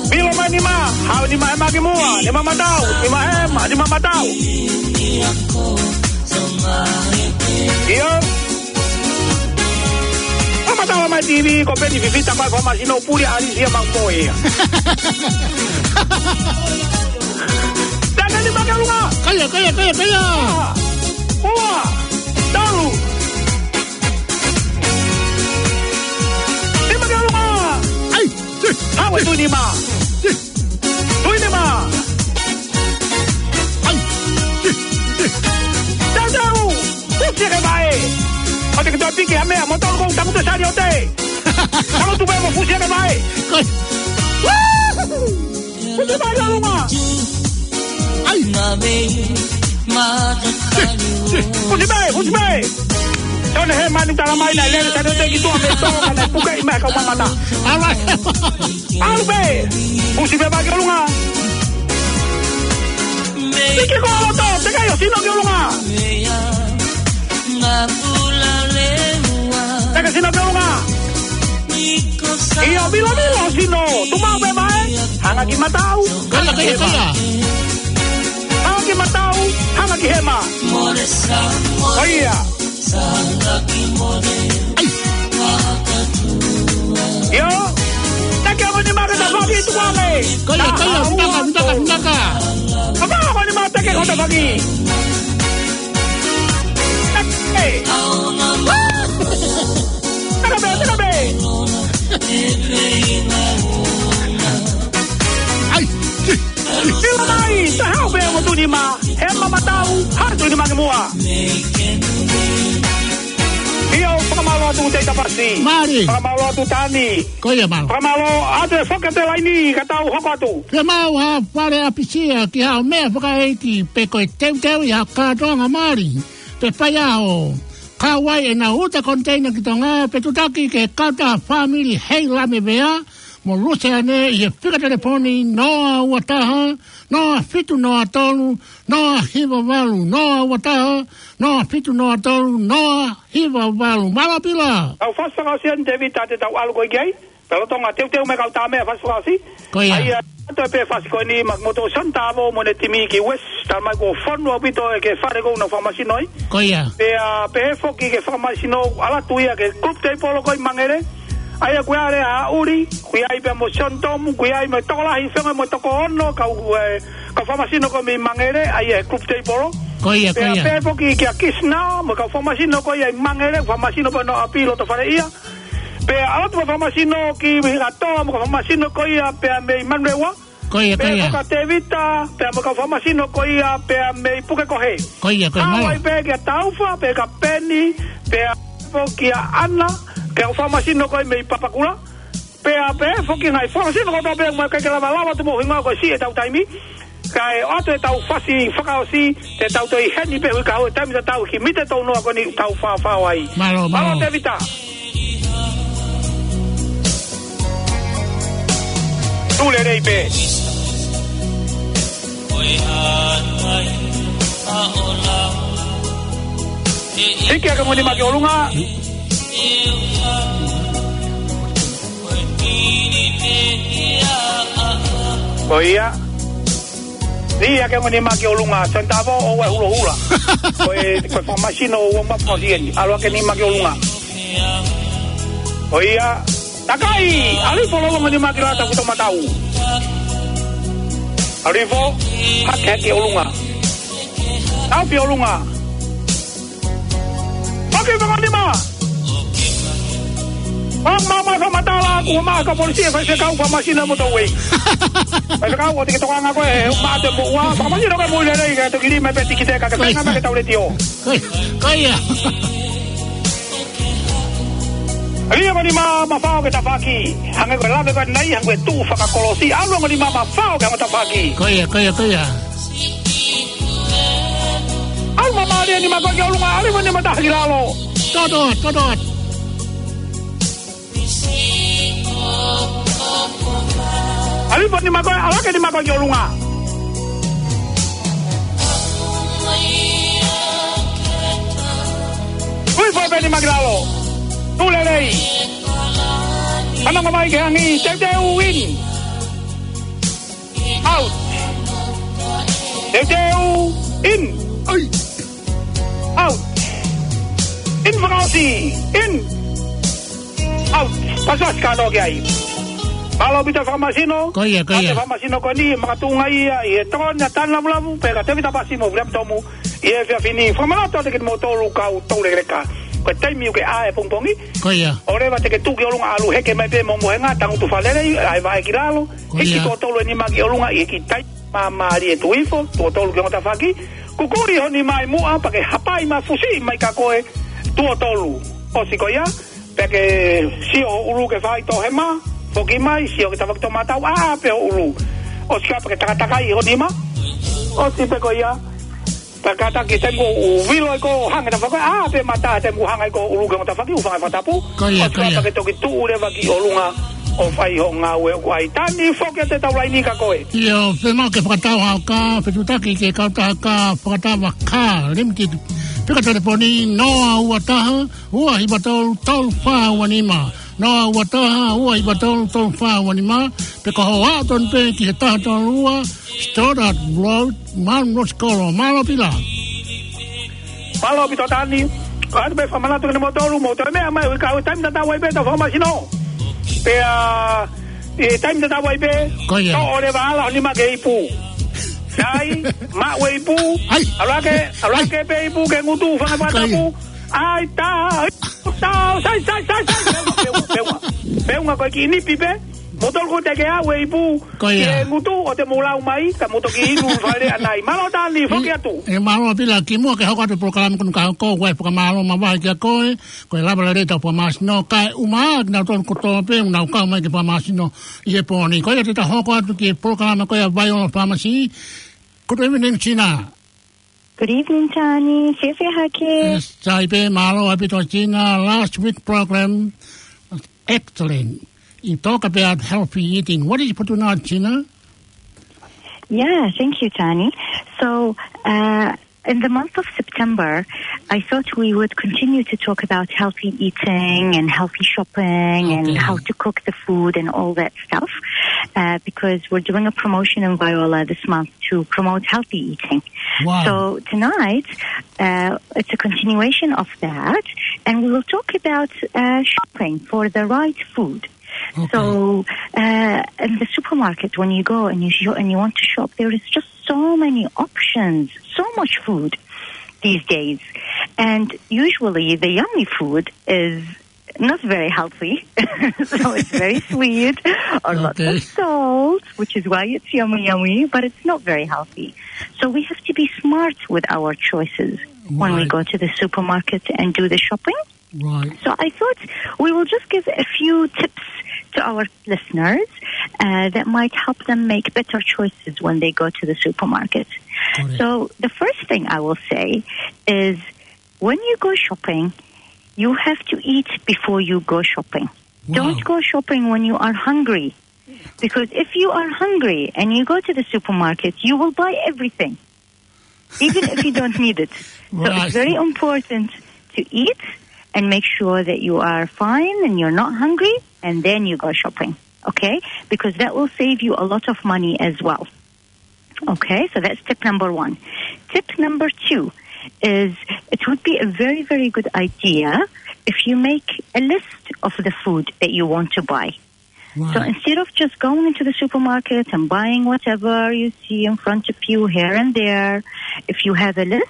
pilo mai nima, haʻu nima hema ki muʻa, nima matau, nima hema, nima matau. ʻIo. Nima matau mai TV, ko Peni Fifita mai fakamālō sino puli ʻa Alisia Maumoi ia. Tana nima ki ʻolunga. Ko ia, ko ia, ko ia, ko ia. Ua, ua, tolu. Nima ki ʻolunga. ʻAi. Haʻu e Tuʻinima. Tuʻinima. ʻAi. Tau, tau. Fusi ake mai. ʻOua te ke toe piki ha meʻa, mo tolu kou tangutu sali ʻo te. Tau tupe mo fusi ake mai. Ko ia. Fusi mai ʻolunga. ʻAi. Fusi mai, fusi mai. Tone he manu tala mai na lele tane te ki tua me tō, ka na puke i mai kau mamata. All right. ʻAlu pē. Fusi pē mai ki ʻolunga. Piki ko ʻalu tō, teke ʻo sino ki ʻolunga. Teke sino ki ʻolunga. ʻIo, vilo, vilo, sino. Tumaʻu pē mai. Hanga ki matau. Ko ia, ko ia, ko ia. Hanga ki matau. Hanga ki hema. ʻOi ia. ʻAi. ʻIo. Taki ʻa mani mā ke ta faki tu ame. Ko ia, ko ia, vinaka, vinaka, vinaka. Apa ko ni mā taki ko ta faki. Taki. Taka pē, taka pē. ʻAi. Pilo mai, ta haʻu pē mo Tuʻinima. Hema matau, haʻu Tuʻinima ki muʻa. ʻIo, fakamālō atu Tei Tapasi. Mālie. Fakamālō atu Tani. Ko ia mālō. Fakamālō atu e foki atu e laini, ka tau hoko atu. Ke mau ha fale ʻapisia ki haʻo meʻa fakaʻeiki pe ko e teuteu ʻi ha kātoanga mali. Pe faiʻaho. Kauai ʻenau uta konteina ki Tonga, pe tutaki ki he kautaha fāmili Heilame Vea mo Luseane ʻi he fika telefoni noa ua taha, noa fitu noa tolu, noa hiva valu, noa ua taha, noa fitu noa tolu, noa hiva valu. Mālō Pila. Tau fasi fakaʻosi eni Tēvita te tau ʻalu ko ē ki ai. Pea lolotonga teuteu mai kau tā meʻa fasi fakaʻosi. Ko ia. ʻA ia, ʻoatu pē fasi ko eni maʻa kimoutolu Santa Avo mo ʻene timi ki West, talamai kuo fonu ʻaupito ʻa e fale ko ē ʻoku nau fakamasino ai. Ko ia. Pea, pehē foki ki he fakamasino, ʻalu atu ia ki he group table ko ē ʻi Mangere. ʻA ia ko e ʻAle ʻa ʻUli, ko ia ai pea mo Sione Tomu, ko ia ai mo e tokolahi fenga mo e toko ono, kau, ē, kau fakamasino ko ē mei Mangere, ʻa ia he group table. Ko ia, ko ia. Pea, pehē foki kia Kisina, mo e kau fakamasino ko ia ʻi Mangere, fakamasino pē ʻi ʻapi loto fale ia. Pea ʻalu atu pē fakamasino ki Hikatoa mo e kau fakamasino ko ia pea mei Manurewa. Ko ia, ko ia. Pea ko Tēvita, pea mo e kau fakamasino ko ia pea mei Pukekohe. Ko ia, ko ia, mālō. Hawaii pē kia Taufa, pea kia Peni, pea foki kia ʻAna, kia kau fakamasino ko ia mei Papakura. Pea pehē foki ngaahi fakamasino kotoa pē mo e kakai ke lava lava atu mo hingoa ko e siʻi ʻetau taimi. Kae ʻoatu ʻetau fasi fakaʻosi, te tau toe ʻi heni pē hui kahaʻu he taimi tatau ki he mite tau noa ko eni tau fāfao ai. Mālō, mālō. Mālō Tēvita. Tū lelei pē. Hiki hake mo e nima ki ʻolunga. Ko ia. Hiki hake mo e nima ki ʻolunga, Santa Avo ʻoua ʻe hulohula. Ko e, ko e fakamasino ʻoku mau fakaʻosi eni. ʻAlu hake nima ki ʻolunga. Ko ia. Takai, ʻAlifo lolotonga mo e nima ki lalo ʻoku tomatau. ʻAlifo, hake hake ʻolunga. Tau pē ʻolunga. Oke, fakaʻosi nima. Māmā, māmā, fakamatala, kuo maʻa kau polisi ʻe faifekau fakamasino mo tau ei. Faifekau, ʻoua te ke tokanga koe, ʻe maʻa te moʻua, fakamasino ke mui lelei, ke toki lima pē tikite ka ke fenga mai ke tau letiō. Ko ia. Ko ia. ʻAlifo nima, mafao ke tafaki. Hangē ko e lave ko eni, hangē ko e tuʻu fakakolosi. ʻAlifo nima, mafao ke hanga tafaki. Ko ia, ko ia, ko ia. ʻAlu māmālie nima ko ē ki ʻolunga, ʻAlifo nima taha ki lalo. Toto, toto. ʻAlifo nima ko ē, ʻalu hake nima ko ē ki ʻolunga. Ui foʻi pē nima ki lalo. Tū lelei. Ana mai ke hangi, teuteu in. Out. Teuteu in. Oi. Out. In fakaʻosi. In. Out. Pasi ʻosi ka noa ki ai. Mālō ʻaupito fakamasino. Ko ia, ko ia. Fakamasino ko eni, makatuʻunga ia ʻi he tokoni ʻa Tana Lavulavu, pea kia Tēvita Pasi mo Viliami Tomu. ʻI he efiafi ni, fakamanatu atu kiate kimoutolu kau toulekeleka. Ko e taimi ʻoku ke ʻā he pongipongi. Ko ia. ʻOleva te ke tuʻu ki ʻolunga ʻalu heke mai pē mo mohenga, tangutu fakalelei, ʻai vaʻe ki lalo. Ko ia. Hiki tuʻo tolu e nima ki ʻolunga ʻi he kiʻi taimi māmālie, tuʻu hifo, tuʻo tolu ki he ongo tafaʻaki. Kukuʻi ho nima ʻi muʻa, pea ke hapai mai fusi mai kia koe, tuʻo tolu. ʻOsi ko ia, pea ke sio ho ʻulu ke fai tō hema, foki mai, sio ki he tafaʻaki tomatau, ʻā pē ho ʻulu. ʻOsi ko ia pea ke takatakai ho nima. ʻOsi pē ko ia. Pea kātaki taimi ʻoku vilo ai ko ē hanga tafaʻaki, ʻā pē mata taimi ʻoku hanga ai ko ē ʻulu ki he ongo tafaʻaki, ʻoku fanga fakatapu. Ko ia, ko ia. ʻOsi ko ia pea ke toki tuʻu leva ki ʻolunga ʻo fai ho ngāue ʻoku ʻai. Tani, foki atu e tau laini kia koe. ʻIo, fiemaʻu ke fakatau hao kā, fetuʻutaki ki he kautaha kā, Fakatava Car Limited. Fika telefoni noa ua taha, ua hiva tolu, tolu fā ua nima. Noa ua taha, ua hiva tolu, tolu fā ua nima. Pe ko hoʻo aʻu tonu pē ki he taha tolu ua, Stoddard Road, Mount Rosie Kolo. Mālō Pila. Mālō ʻaupito Tani. Ko atu pē fakamanatu kiate kimoutolu, mou toe meʻa mai, ui ka ui taimi tatau ai pē ʻetau fakamasino. Pea, ʻi he taimi tatau ai pē, ko ia, toʻo leva ʻa ho nima ki he ipu. Sai, maʻu e ipu. Ai. ʻAlu hake, ʻalu hake pē ipu ki he ngutu, fanga fakatapu. Ko ia. Ai, tā, ai, tā, sai, sai, sai, sai, peunga, peunga, peunga. Peunga ko e kiʻi nipi pē, mou tolu ko ē te ke ʻalu e ipu, ko ia, ki he ngutu, ʻo te mou lau mai, ka mou toki inu fale anai. Mālō Tani, foki atu. ʻE, mālō Pila, kimuʻa ke hoko atu e polokalama ko eni ka hoko, ʻoku ou fakamālō makehe kiate koe, ko e lava lelei ʻetau fakamasino, kae ʻumaʻā kinautolu kotoa pē, ʻoku nau kau mai ki he fakamasino ʻi he pō ni. Ko ia te ta hoko atu ki he polokalama ko ia ʻa Vaiola Pharmacy, ko e evening China. Good evening, Tani. Fiefia hake. Yes, sai pē, mālō ʻaupito Tina, last week program, excellent. You talk about healthy eating. What did you put on, Tina? Yeah, thank you, Tani. So, uh, in the month of September, I thought we would continue to talk about healthy eating and healthy shopping and Okay. how to cook the food and all that stuff, uh, because we're doing a promotion in Viola this month to promote healthy eating. Wow. So tonight, uh, it's a continuation of that, and we will talk about, uh, shopping for the right food. Okay. So, uh, in the supermarket, when you go and you sh-, and you want to shop, there is just so many options, so much food these days. And usually the yummy food is not very healthy. So it's very sweet or lots Okay. of salt, which is why it's yummy, yummy, but it's not very healthy. So we have to be smart with our choices when we Right. go to the supermarket and do the shopping. Right. So I thought we will just give a few tips to our listeners, uh, that might help them make better choices when they go to the supermarket. Correct. So the first thing I will say is when you go shopping, you have to eat before you go shopping. Wow. Don't go shopping when you are hungry. Because if you are hungry and you go to the supermarket, you will buy everything, even if you don't need it. So Right. it's very important to eat and make sure that you are fine and you're not hungry, and then you go shopping, okay? Because that will save you a lot of money as well. Okay, so that's tip number one. Tip number two is it would be a very, very good idea if you make a list of the food that you want to buy. Right. So instead of just going into the supermarket and buying whatever you see in front of you here and there, if you have a list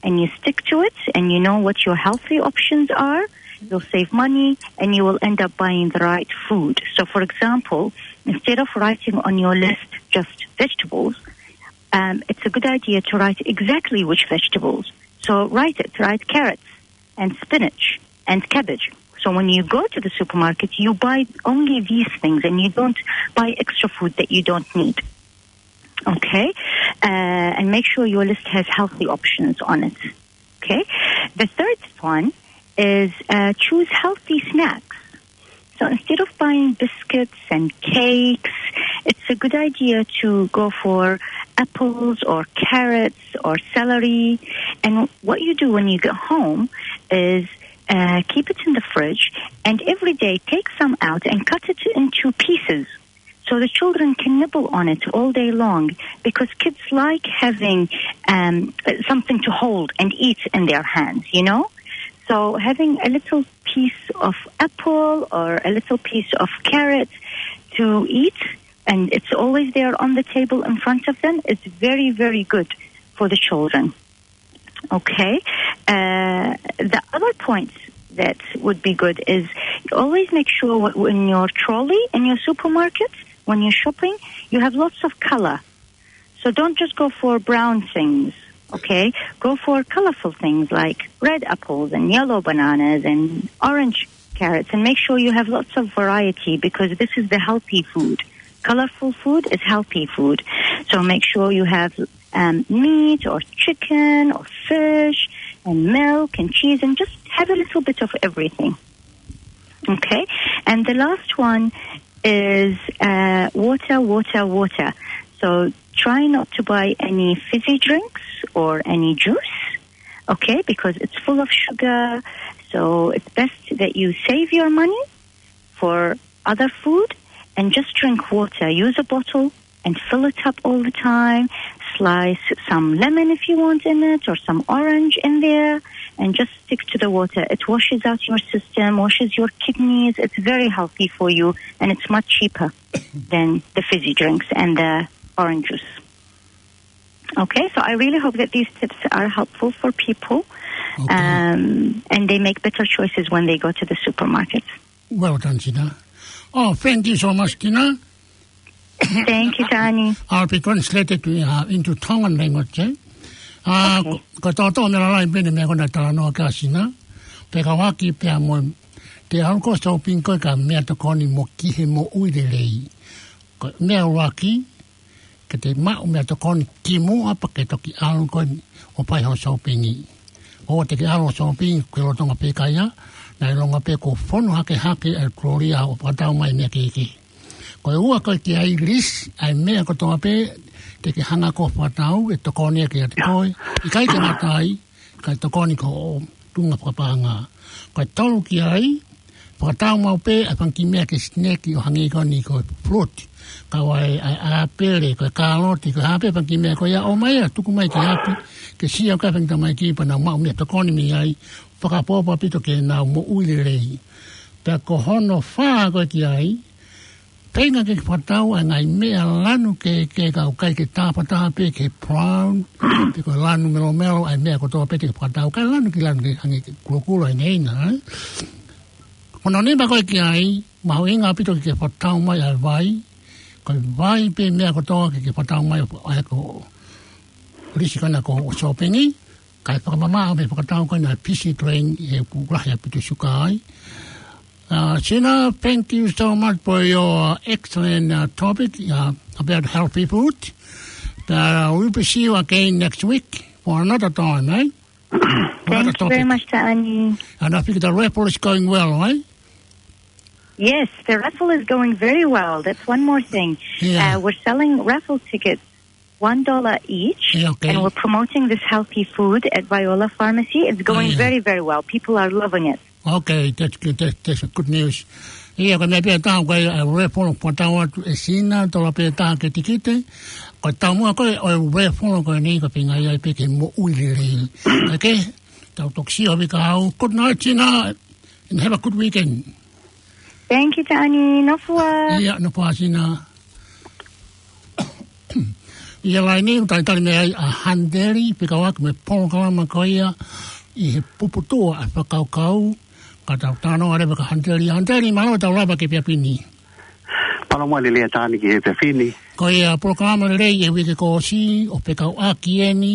and you stick to it and you know what your healthy options are, you'll save money and you will end up buying the right food. So for example, instead of writing on your list just vegetables, um, it's a good idea to write exactly which vegetables. So write it, write carrots and spinach and cabbage. So when you go to the supermarket, you buy only these things and you don't buy extra food that you don't need. Okay? Uh, and make sure your list has healthy options on it. Okay? The third one is, uh, choose healthy snacks. So instead of buying biscuits and cakes, it's a good idea to go for apples or carrots or celery. And what you do when you get home is, uh, keep it in the fridge and every day take some out and cut it into pieces so the children can nibble on it all day long, because kids like having, um, something to hold and eat in their hands, you know? So having a little piece of apple or a little piece of carrot to eat, and it's always there on the table in front of them, is very, very good for the children. Okay. Uh, the other point that would be good is always make sure wh-, in your trolley, in your supermarket, when you're shopping, you have lots of color. So don't just go for brown things, okay? Go for colorful things like red apples and yellow bananas and orange carrots, and make sure you have lots of variety, because this is the healthy food. Colorful food is healthy food. So make sure you have, um, meat or chicken or fish and milk and cheese, and just have a little bit of everything. Okay? And the last one is, uh, water, water, water. So try not to buy any fizzy drinks or any juice, okay? Because it's full of sugar. So it's best that you save your money for other food and just drink water. Use a bottle and fill it up all the time. Slice some lemon if you want in it, or some orange in there, and just stick to the water. It washes out your system, washes your kidneys. It's very healthy for you, and it's much cheaper than the fizzy drinks and the orange juice. Okay, so I really hope that these tips are helpful for people, Okay. um, and they make better choices when they go to the supermarket. Well done, Tina. Oh, thank you so much, Tina. Thank you, Tani. I'll be translated to, uh, into Tongan language, eh? Uh, Okay. Ko, ko tōtō me lalai pene meʻa ko ena talanoa kia Tina. Pea ka waki pea mo te au ko shopping ko e ka meʻa tokoni mo ki he moʻui lelei. Ko e meʻa ʻuluaki, ke te maʻu meʻatokoni kimuʻa pea ke toki ʻalu ko eni ʻo fai hoʻo sōpingi. ʻOua te ke ʻalu ʻo sōpingi ki he lolotonga pē kae ʻai, naʻe ʻilonga pē kuo fonu hakehake ʻa e kolōlia ʻo fakatau mai meʻa kehekehe. Ko e ua ko e ke ʻai lisi ʻa e meʻa kotoa pē te ke hanga ʻo fakatau, ʻe tokoni ia kiate koe. ʻIkai ke ngata ai, kae tokoni ki hoʻo tuʻunga fakapaʻanga. Ko e tolu ki ai, fakatau maʻu pē ʻa e fanga kiʻi meʻa ke sineki ʻo hangē ko eni ko e fruit. Kau ai ʻa e, ʻa e ʻāpele, ko e kāloti, ko e hā pē fanga kiʻi meʻa ko ia, ʻomai ia, tuku mai ki ʻapi, ke sio ki ai e fanga kiʻi tamaiki pea nau maʻu meʻatokoni mei ai, fakaʻapaʻapa ʻaupito ke nau moʻui lelei. Pea ko hono fā ko e ki ai, feinga ke fakatau ʻa e ngaahi meʻa lanu kehekehe, kae ʻikai ke tāfataha pē ki he brown, pe ko e lanu melomelo, ʻa e meʻa kotoa pē te ke fakatau, kae lanu ki lanu ke hangē ko e kulokula ʻi heni, ē? Ko hono nima ko e ki ai, mahuʻinga ʻaupito ke ke fakatau mai ʻa e vai, ko e vai pē meʻa kotoa ke ke fakatau mai ʻa e ko e lisi ko ena ko hoʻo sōpingi, kae fakamamaʻo mei he fakatau ko ena e fizzy drink he ʻoku lahi ʻaupito e suka ai. Uh, Sina, thank you so much for your, uh, excellent, uh, topic, uh, about healthy food. Uh, we'll be see you again next week for another time, eh? Another topic. Thank you very much, Taʻani. And I think the raffle is going well, eh? Yes, the raffle is going very well. That's one more thing. Yeah. Uh, we're selling raffle tickets one dollar each, yeah, okay, and we're promoting this healthy food at Viola Pharmacy. It's going, yeah, very, very well. People are loving it. Okay, that's good. That, that's a good news. ʻIa, ko e meʻa pē ʻe taha ko e, uh, raffle ʻoku tau ʻoatu ʻe Sina, tola pē ʻe taha ke tikite. Ko e taumuʻa ko e, ʻo e raffle ko eni ko e feinga ia pē ke moʻui lelei. Okay? Tau toki sio ʻaupito ki ai. Good night, Sina. And have a good weekend. Thank you, Taʻani. Nofo ā. ʻIa, nofo ā Sina. ʻIa, laine, ʻoku talitali mai ai ʻa Hanteli, fekauʻaki mo e polokalama ko ia ʻi he puputuʻu ʻa e fakakaukau, ka tau talanoa leva kia Hanteli. Hanteli, mālō e tau lava ki he efiafi ni. Mālō mo e lelei ʻa Taʻani ki he efiafi ni. Ko ia, polokalama lelei ʻi he uike kuo ʻosi, ʻo fekauʻaki eni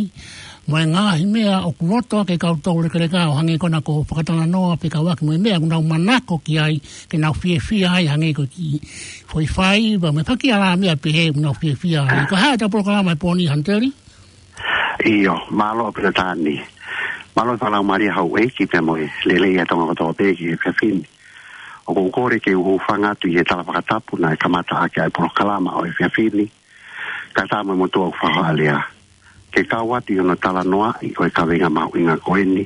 mo e ngaahi meʻa ʻoku loto ʻaki ʻe kinautolu lekeleka, ʻo hangē ko ena ko e fakatalanoa fekauʻaki mo e meʻa ʻoku nau manako ki ai, ke nau fiefia ai, hangē ko e kiʻi foʻi faiva mo e fanga kiʻi ala meʻa pehē ʻoku nau fiefia ai. Ko e hā ʻetau polokalama he pō ni, Hanteli? ʻIo, mālō ʻaupito Taʻani. Mālō e fakalaumālie houʻeiki pea mo e lelei ʻa Tonga kotoa pē ki he efiafi ni. ʻOku ou kole ke u hūfanga atu ʻi he tala fakatapu naʻe kamata ʻaki ʻa e polokalama ʻo e efiafi ni, kae ʻatā mo e motuʻa ʻoku fakaʻalea ke kau atu ʻi hono talanoaʻi ʻo e kaveinga mahuʻinga ko eni,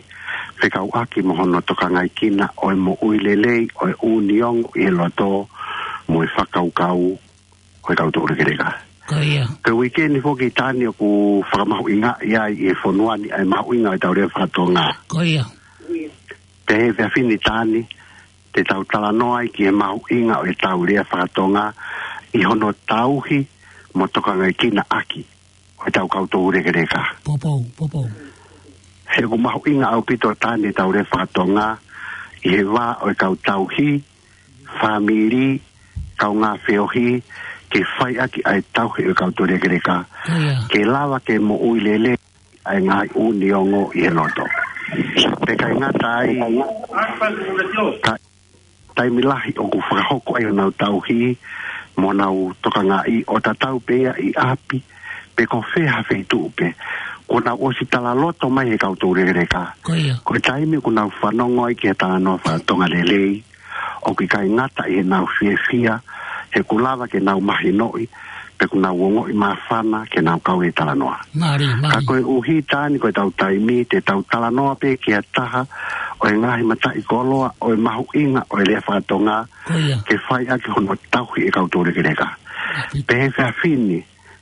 fekauʻaki mo hono tokangaekina ʻo e moʻui lelei ʻo e ʻū niongo ʻi he loto mo e fakakaukau ʻo e kau toulekeleka. Ko ia. Ko e uike ni foki Taʻani ʻoku fakamahuʻingaʻi ai ʻi he fonua ni ʻa e mahuʻinga ʻo e tau lea faka-Tonga. Ko ia. Pea he efiafi ni Taʻani, te tau talanoa ai ki he mahuʻinga ʻo e tau lea faka-Tonga ʻi hono tauhi mo tokangaekina ʻaki ʻo e tau kau toulekeleka. Poupou, poupou. He ʻoku mahuʻinga ʻaupito Taʻani e tau lea faka-Tonga ʻi he vā ʻo e kau tauhi, fāmili, kaungā feohi, ke fai ʻaki ʻa e tauhi ʻo e kau toulekeleka. Ko ia. Ke lava ke moʻui lelei ʻa e ngaahi ʻū niongo ʻi he loto. Pea ʻikai ngata ai, ka taimi lahi ʻoku fakahoko ai honau tauhi mo honau tokangaʻi ʻo tatau pē ia ʻi ʻapi pe ko fē ha feituʻu pē, kuo nau ʻosi talaloto mai he kau toulekeleka. Ko ia. Ko e taimi ʻoku nau fanongo ai ki he talanoa faka-Tonga lelei, ʻoku ʻikai ngata ʻi heʻenau fiefia, he ʻoku lava ke nau mahinoʻi, pe ʻoku nau ongoʻi māfana ke nau kau he talanoa. Mālie, mālie. Ka koeʻuhi Taʻani ko e tau taimi, te tau talanoa pē ki ha taha ʻo e ngaahi mataʻikoloa ʻo e mahuʻinga ʻo e lea faka-Tonga, ko ia, ke fai ʻaki hono tauhi ʻe kau toulekeleka. ʻAupito. Pea he efiafi ni,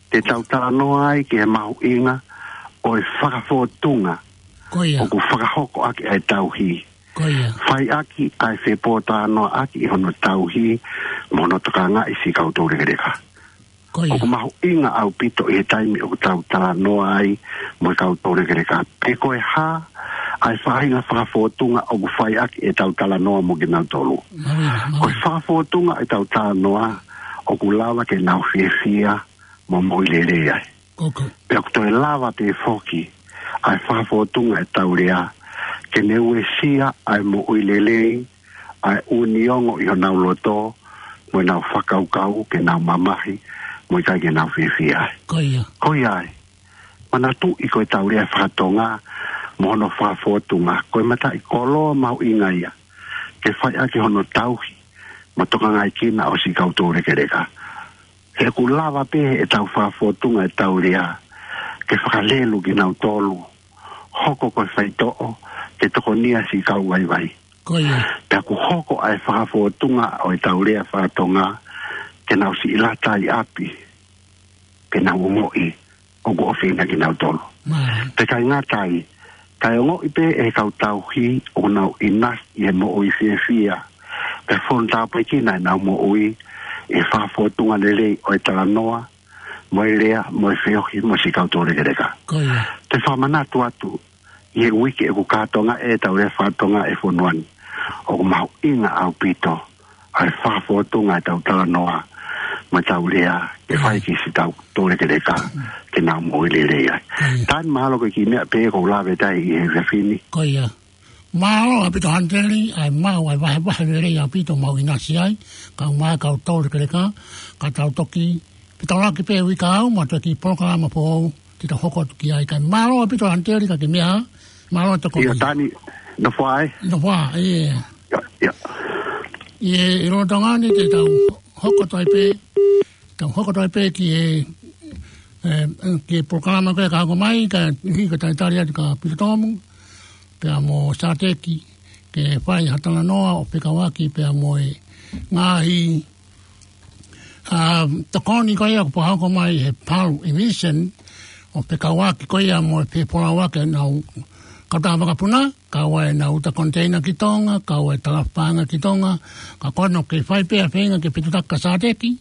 te tau talanoa ai ki he mahuʻinga ʻo e fakafōtunga, ko ia, ʻoku fakahoko ʻaki ʻa e tauhi. Ko ia. Fai ʻaki ʻa e fepōtalanoaʻaki ʻi hono tauhi mo hono tokangaʻi siʻi kau toulekeleka. Ko ia. ʻOku mahuʻinga ʻaupito ʻi he taimi ʻoku tau talanoa ai mo e kau toulekeleka, pe ko e hā ʻa e faʻahinga fakafōtunga ʻoku fai ʻaki ʻetau talanoa mo kinautolu. Mālie, mālie. Ko e fakafōtunga ʻetau talanoa ʻoku lava ke nau fiefia mo moʻui lelei ai. Koko. Pea ʻoku toe lava pē foki ʻa e fakafōtunga ʻetau lea ke ne uesia ʻa e moʻui lelei ʻa e ʻū niongo ʻi honau loto mo ʻenau fakakaukau ke nau mamahi mo e ʻikai ke nau fiefia ai. Ko ia. Ko ia ai. Manatuʻi ko e tau lea fakatonga, mo hono fakafōtunga, ko e mataʻikoloa mahuʻinga ia ke fai ʻaki hono tauhi mo tokangaekina ʻo siʻi kau toulekeleka. He ʻoku lava pē ʻe tau fakafōtunga e tau lea ke fakalelu kinautolu, hoko ko e faitoʻo ke tokonia siʻi kau vaivai. Ko ia. Pea ʻoku hoko ʻa e fakafōtunga ʻo e tau lea fakatonga ke nau siʻi lata ʻi ʻapi, ke nau ongoʻi ʻoku ʻofa ʻia kinautolu. Mālie. Pea ʻikai ngata ai, kae ongoʻi pē ʻe he kau tauhi ʻoku nau ʻinasi ʻi he moʻui fiefia, pea fonu tāpuekina ʻenau moʻui ʻi he fakafōtunga lelei ʻo e talanoa, mo e lea, mo e feohi mo siʻi kau toulekeleka. Ko ia. Te u fakamanatu atu, ʻi he uike ʻoku kātoanga e tau lea fakatonga ʻi he fonua ni, ʻoku mahuʻinga ʻaupito ʻa e fakafōtunga e tau talanoa mo e tau lea ke fai ki siʻi kau toulekeleka ke nau moʻui lelei ai. Ko ia. Tani, mahalo ko e kiʻi meʻa pē ʻoku ou lave atu ai ʻi he efiafi ni. Ko ia. Mālō ʻaupito Hanteli, ʻa e maʻu ʻa e vahevahe lelei ʻaupito, mau ʻinasi ai, kau mai kau toulekeleka, ka tau toki fetaulaki pē uike kahaʻu mo e kiʻi polokalama foʻou te tau hoko atu ki ai. Kae mālō ʻaupito Hanteli, ka ke meʻa, mālō e tokoni. ʻIo Tani, nofo ā. Nofo ā, ʻio. ʻIo, ʻio. ʻIo, ʻi loto ngani te tau hoko atu ai pē, tau hoko atu ai pē ki he, ē, ki he polokalama ko ē ka hoko mai, ka hiki talitali atu kia Pita Tomu, pea mo Sateki, ke fai ha talanoa ʻo fekauʻaki pea mo e ngaahi, ʻa, tokoni ko ia ʻoku fakahoko mai he Palu Emission, ʻo fekauʻaki ko ia mo e fefolauʻaki ʻenau kautaha vakapuna, kau ai ʻenau uta koniteina ki Tonga, kau ai e talafaʻanga ki Tonga, ka ko hono kei fai pē ʻa e feinga ke fetuʻutaki kia Sateki,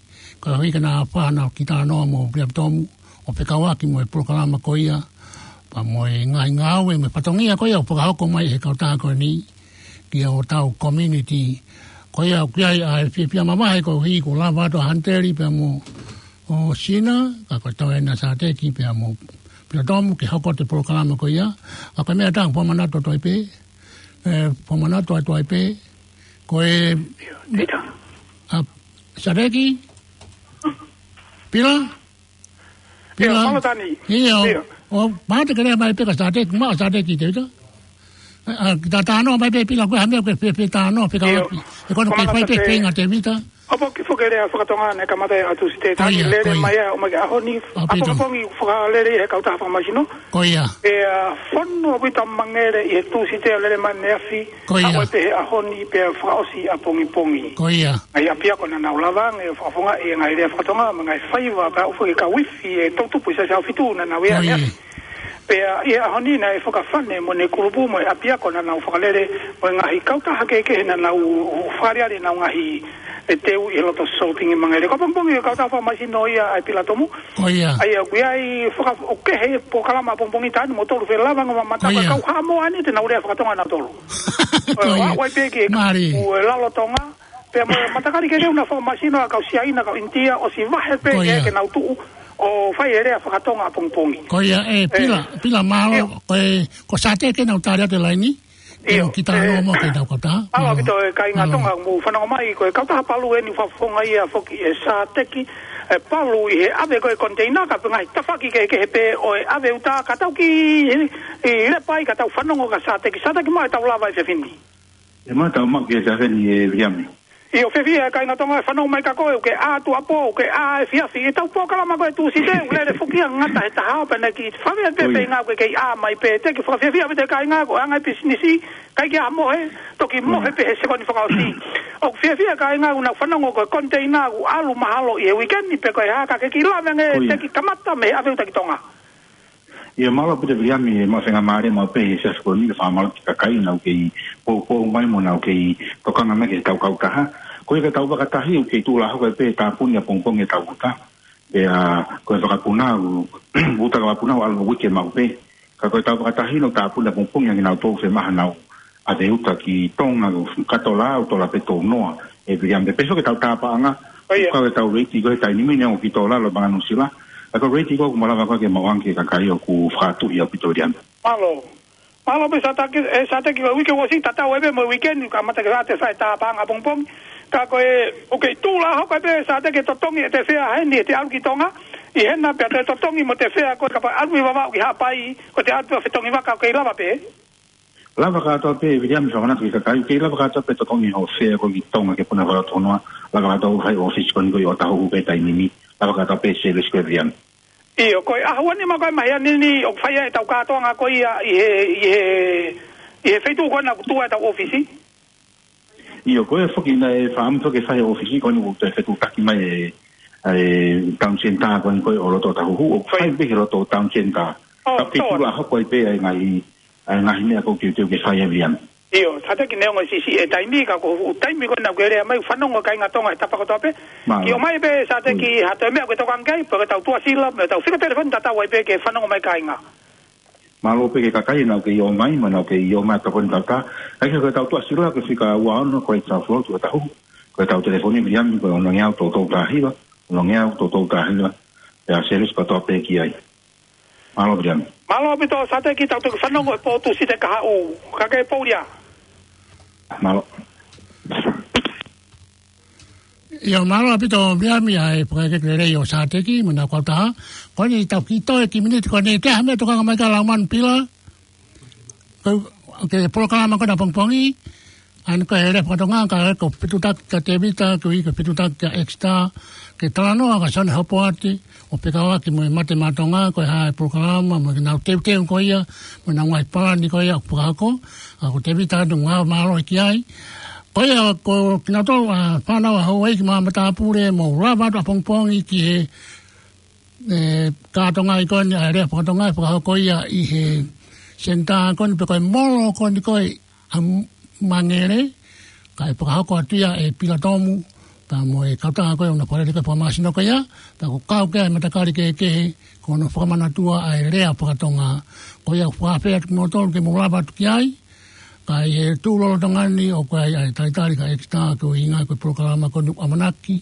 koeʻuhi ke na fai haʻanau kiʻi talanoa mo Pita Tomu, ʻo fekauʻaki mo e polokalama ko ia, pea mo e ngaahi ngāue mo e fatongia ko ia ʻoku fakahoko mai he kautaha ko eni ki hotau community. Ko ia ʻoku ʻi ai ʻa e fiefia mamahi koeʻuhi kuo lava atu ʻa Hanteli pea mo Sina, ka ko e tau ena Sateki pea mo Pita Tomu ke hoko atu e polokalama ko ia. Ka ko e meʻa ʻe taha ʻoku ou fakamanatu atu ai pē, ē, fakamanatu atu ai pē, ko e, ʻio, Pita. ʻA, Sateki? Pila? ʻIo, Pila? Mālō Tani. ʻIo. ʻIo. ʻO, mahalo te ke lea mai pē kia Sateki, maʻa Sateki te uta. ʻA, ʻa, kiʻi talanoa mai pē Pila, ko e hā e meʻa ʻoku ke fie, fie talanoa, fekauʻaki. ʻIo. He ko hono kei fai pē ʻa e feinga Tēvita. ʻOku ou kiʻi foki e lea fakatonga naʻe kamata ʻi he ʻaho Tūsite, Tani, lele mai ia ʻo mai ki he ʻaho ni, ʻapongipongi ʻoku fakalele ʻe he kautaha fakamāsino. Ko ia. ʻA, fonu ʻaupito Mangere ʻi he Tūsite ʻo lele mai ʻaneafi. Ko ia. ʻA, ʻo pehē ʻaho ni pea fakaʻosi ʻapongipongi. Ko ia. ʻA ia ʻapiako naʻa nau lava ange ʻo fakafofongaʻi e ngaahi lea fakatonga mo e ngaahi faiva pea ʻoku fakaʻufi e toʻutupu ʻi Siasi ʻAhofitu naʻa nau ʻi ai ʻaneafi. Pea ʻi he ʻaho ni naʻe fakafane mo ʻene kulupu mo e ʻapiako naʻa nau fakalele mo e ngaahi kautaha kehekehe naʻa nau fakaaliali ʻenau ngaahi e teu ʻi he loto sōpingi Mangere. Ko ʻapongipongi ʻa e kautaha fakamāsino ia ʻa e Pila Tomu. Ko ia. ʻA ia ʻoku ʻi ai faka-, ʻoku kehe polokalama ʻapongipongi Tani mo tolu felava ngomamata. Ko ia. Kau Haʻamoa ni te nau lea fakatonga nautolu. Ko ia. ʻA, ʻoku ʻi ai pē ki he, mālie, kau e lalo Tonga. Pea mo e matakali kehekehe ʻoku nau fakamāsino ʻa e kau Siaina, kau ʻInitia, ʻosi vahe pē ke, ʻio, ke nau tuʻu ʻo fai e lea fakatonga ʻapongipongi. Ko ia, ē, ē. Pila, Pila mālō, ʻio, ko e, ko Sateki naʻa ku tali atu e laini. ʻIo, ʻio, kiʻi talanoa, ē, mo e kau kautaha. Mālō ʻaupito e kāinga Tonga, mālō, mou fanongo mai, ko e kautaha Palu eni ʻoku fakafofongaʻi ia foki ʻe Sateki, ʻe Palu ʻi he ʻave ko ē koniteina ka ko e ngaahi tafaʻaki kehekehe pē ʻo e ʻave uta ka tau kiʻi, ʻi, lepa ai ka tau fanongo kia Sateki. Sateki, maʻa e tau lava he efiafi ni. ʻE, maʻa e tau maʻu ki he efiafi ni ē Viliami. ʻIo, fiefia e kāinga Tonga ʻe fanongo mai kia koe, ʻoku ke ʻā tuʻuapō, ʻoku ke ʻā efiafi, ʻi he tau polokalama ko ē Tūsite, ʻoku lele foki ia ngata he taha, pea naʻe kiʻi fave pē, ko ia, feinga ʻoku ke kei ʻā mai pē, te u kiʻi fakafiefia ʻaupito e kāinga, ko e anga e pisinisi, ʻikai ke ʻā mohe, toki mohe, ko ia, pē he sekoni fakaʻosi. ʻOku fiefia e kāinga ʻoku nau fanongo ko e koniteina ʻoku ʻalu mahalo ʻi he uike ni pe ko e hā, ka ke kiʻi lave ange, ko ia, te u kiʻi kamata mei he ʻave uta ki Tonga. ʻIo, mālō ʻaupito Viliami, ʻe maʻu e faingamālie maʻu pē he efiafi ko eni ke fakamālō ki he kakai naʻa nau kei poupou mai mo nau kei tokanga mai ki he tau kautaha. Ko ia ko e tau vakatahi ʻoku kei tuʻu lā hoko ai pē he tāpuni ʻapongipongi e tau uta. Pea ko e vakapuna, uta vakapuna ʻoku ʻalu uike maʻu pē. Ka ko e tau vakatahi naʻe tāpuni ʻapongipongi ʻa kinautolu fiemaʻu haʻanau ʻave uta ki Tonga, ka tola au, tola pē tau noa, ʻe Viliami. Pea pehē ki he tau tāpaʻanga, ko ia, ʻoku kau e tau reiti ko ē he taimi ni ʻoku kei tola lo Manga Nuʻusila. Ka ko e reiti ko ē ʻoku malava ko ē ke maʻu ange ki he kakai ʻoku fakatuʻi ʻaupito Viliami. Mālō. Mālō pē Sateki, ē, Sateki, ko e uike ʻosi tatau ai pē mo e uike ni, kamata ke ʻave atu e fai tāpaʻanga ʻapongipongi. Ka ko e, ʻoku kei tuʻu lā hoko pē Sateki e totongi ʻete fea heni ʻete ʻalu ki Tonga, ʻi hena pea toe totongi mo ʻete fea ko e kapau ʻalu mei Vavaʻu ki Haʻapai, ko ʻete ʻalu pē ʻo fetongi vaka ʻoku kei lava pē. Lava kātoa pē, Viliami, fakamanatu ki he kakai, kei lava kātoa pē totongi hoʻo fea ko ē ki Tonga ke puna fara tonoa, lava kātoa ʻo fai ʻōfisi ko eni ko ē ʻo Tahuhu pē taimi ni, lava kātoa pē Sēlesi ko ē, Viliami. ʻIo, ko e ʻaho ni mo e māhina ni, ʻoku fai ai ʻetau kātoanga ko ia ʻi he, ʻi he, ʻi he feituʻu ko ena ʻoku tuʻu ai ʻetau ʻōfisi. ʻIo, ko e foki naʻe fakaʻamu ke fai ʻōfisi ko eni ʻoku toe fetuʻutaki mai e, e Town Centre ko eni ko ē ʻo loto Tahuhu, ʻoku fai pē he loto Town Centre. ʻO, ka ʻoku kei tuʻu lā hoko ai pē ʻa e ngaahi, ʻa e ngaahi meʻa ʻoku teuteu ke fai ai, Viliami. ʻIo, Sateki, neongo e siʻisiʻi e taimi ka ko e taimi ko ena ʻoku ke lea mai, fanongo e kāinga Tonga he tapa kotoa pē. Mālō. Ke ʻomai pē Sateki ha toe meʻa ʻoku ke tokanga ki ai, pe ko ʻetau tuʻasila, mo ʻetau fika telefoni tatau ai pē ke fanongo mai kāinga. Mālō pē ki he kakai naʻa nau kei ʻomai, mo naʻa nau kei ʻomai ʻetau telefoni tatau. ʻAi ke ko ʻetau tuʻasila ko e fika ua ono ko e South Road ʻo Tahuhu. Ko ʻetau telefoni, Viliami, ko e ono ngeau tolu tolu taha hiva, ono ngeau tolu tolu taha hiva. Pea Sēlesi kotoa pē ki ai. Mālō, Viliami. Mālō ʻaupito Sateki, tau toki fanongo he pō Tūsite kahaʻu. Ka ke poulia. Mālō. ʻIo, mālō ʻaupito Viliami ʻa e fakaʻekeʻeke lelei ʻo Sateki, mo ʻena kautaha. Ko eni tau kiʻi toe kiʻi miniti ko eni, te ha meʻa tokanga mai ka Laumanu Pila. Ko e, ko e polokalama ko ena pongipongi, ʻa eni ko e lea faka-Tonga, ka ko e fetuʻutaki kia Tēvita, ko e fetuʻutaki kia Exeter, ke talanoa kia Sione Hopoate, ʻo fekauʻaki mo e Mate Maʻa Tonga, ko e hā e polokalama, mo ʻenau teuteu ko ia, mo ʻenau ngaahi palani ko ia ʻoku fakahoko, ʻa ko Tēvita ʻoku ngāue mālohi ki ai. Ko ia ko kinautolu ʻa e fānau ʻa Houʻeiki mo Matāpule, mou lava atu ʻapongipongi ki he e, kātoanga ko eni ʻa e lea faka-Tonga ʻe fakahoko ia ʻi he senitā ko eni pe ko e molo ko eni ko ē ʻa Mangere, kae fakahoko atu ia ʻe Pila Tomu, pea mo e kautaha ko ē ʻoku na fakalele ko ē fakamāsino ko ia, pea ʻoku kau ki ai e matakali kehekehe, ko hono fakamanatua ʻa e lea faka-Tonga. Ko ia ʻoku ou fakaafeʻi atu kimoutolu ke mou lava atu ki ai, ka ʻi he tuʻu lolotonga ni ʻoku ʻi ai ʻa e talitali kia Exeter koeʻuhinga ko e polokalama ko eni ʻoku ʻamanaki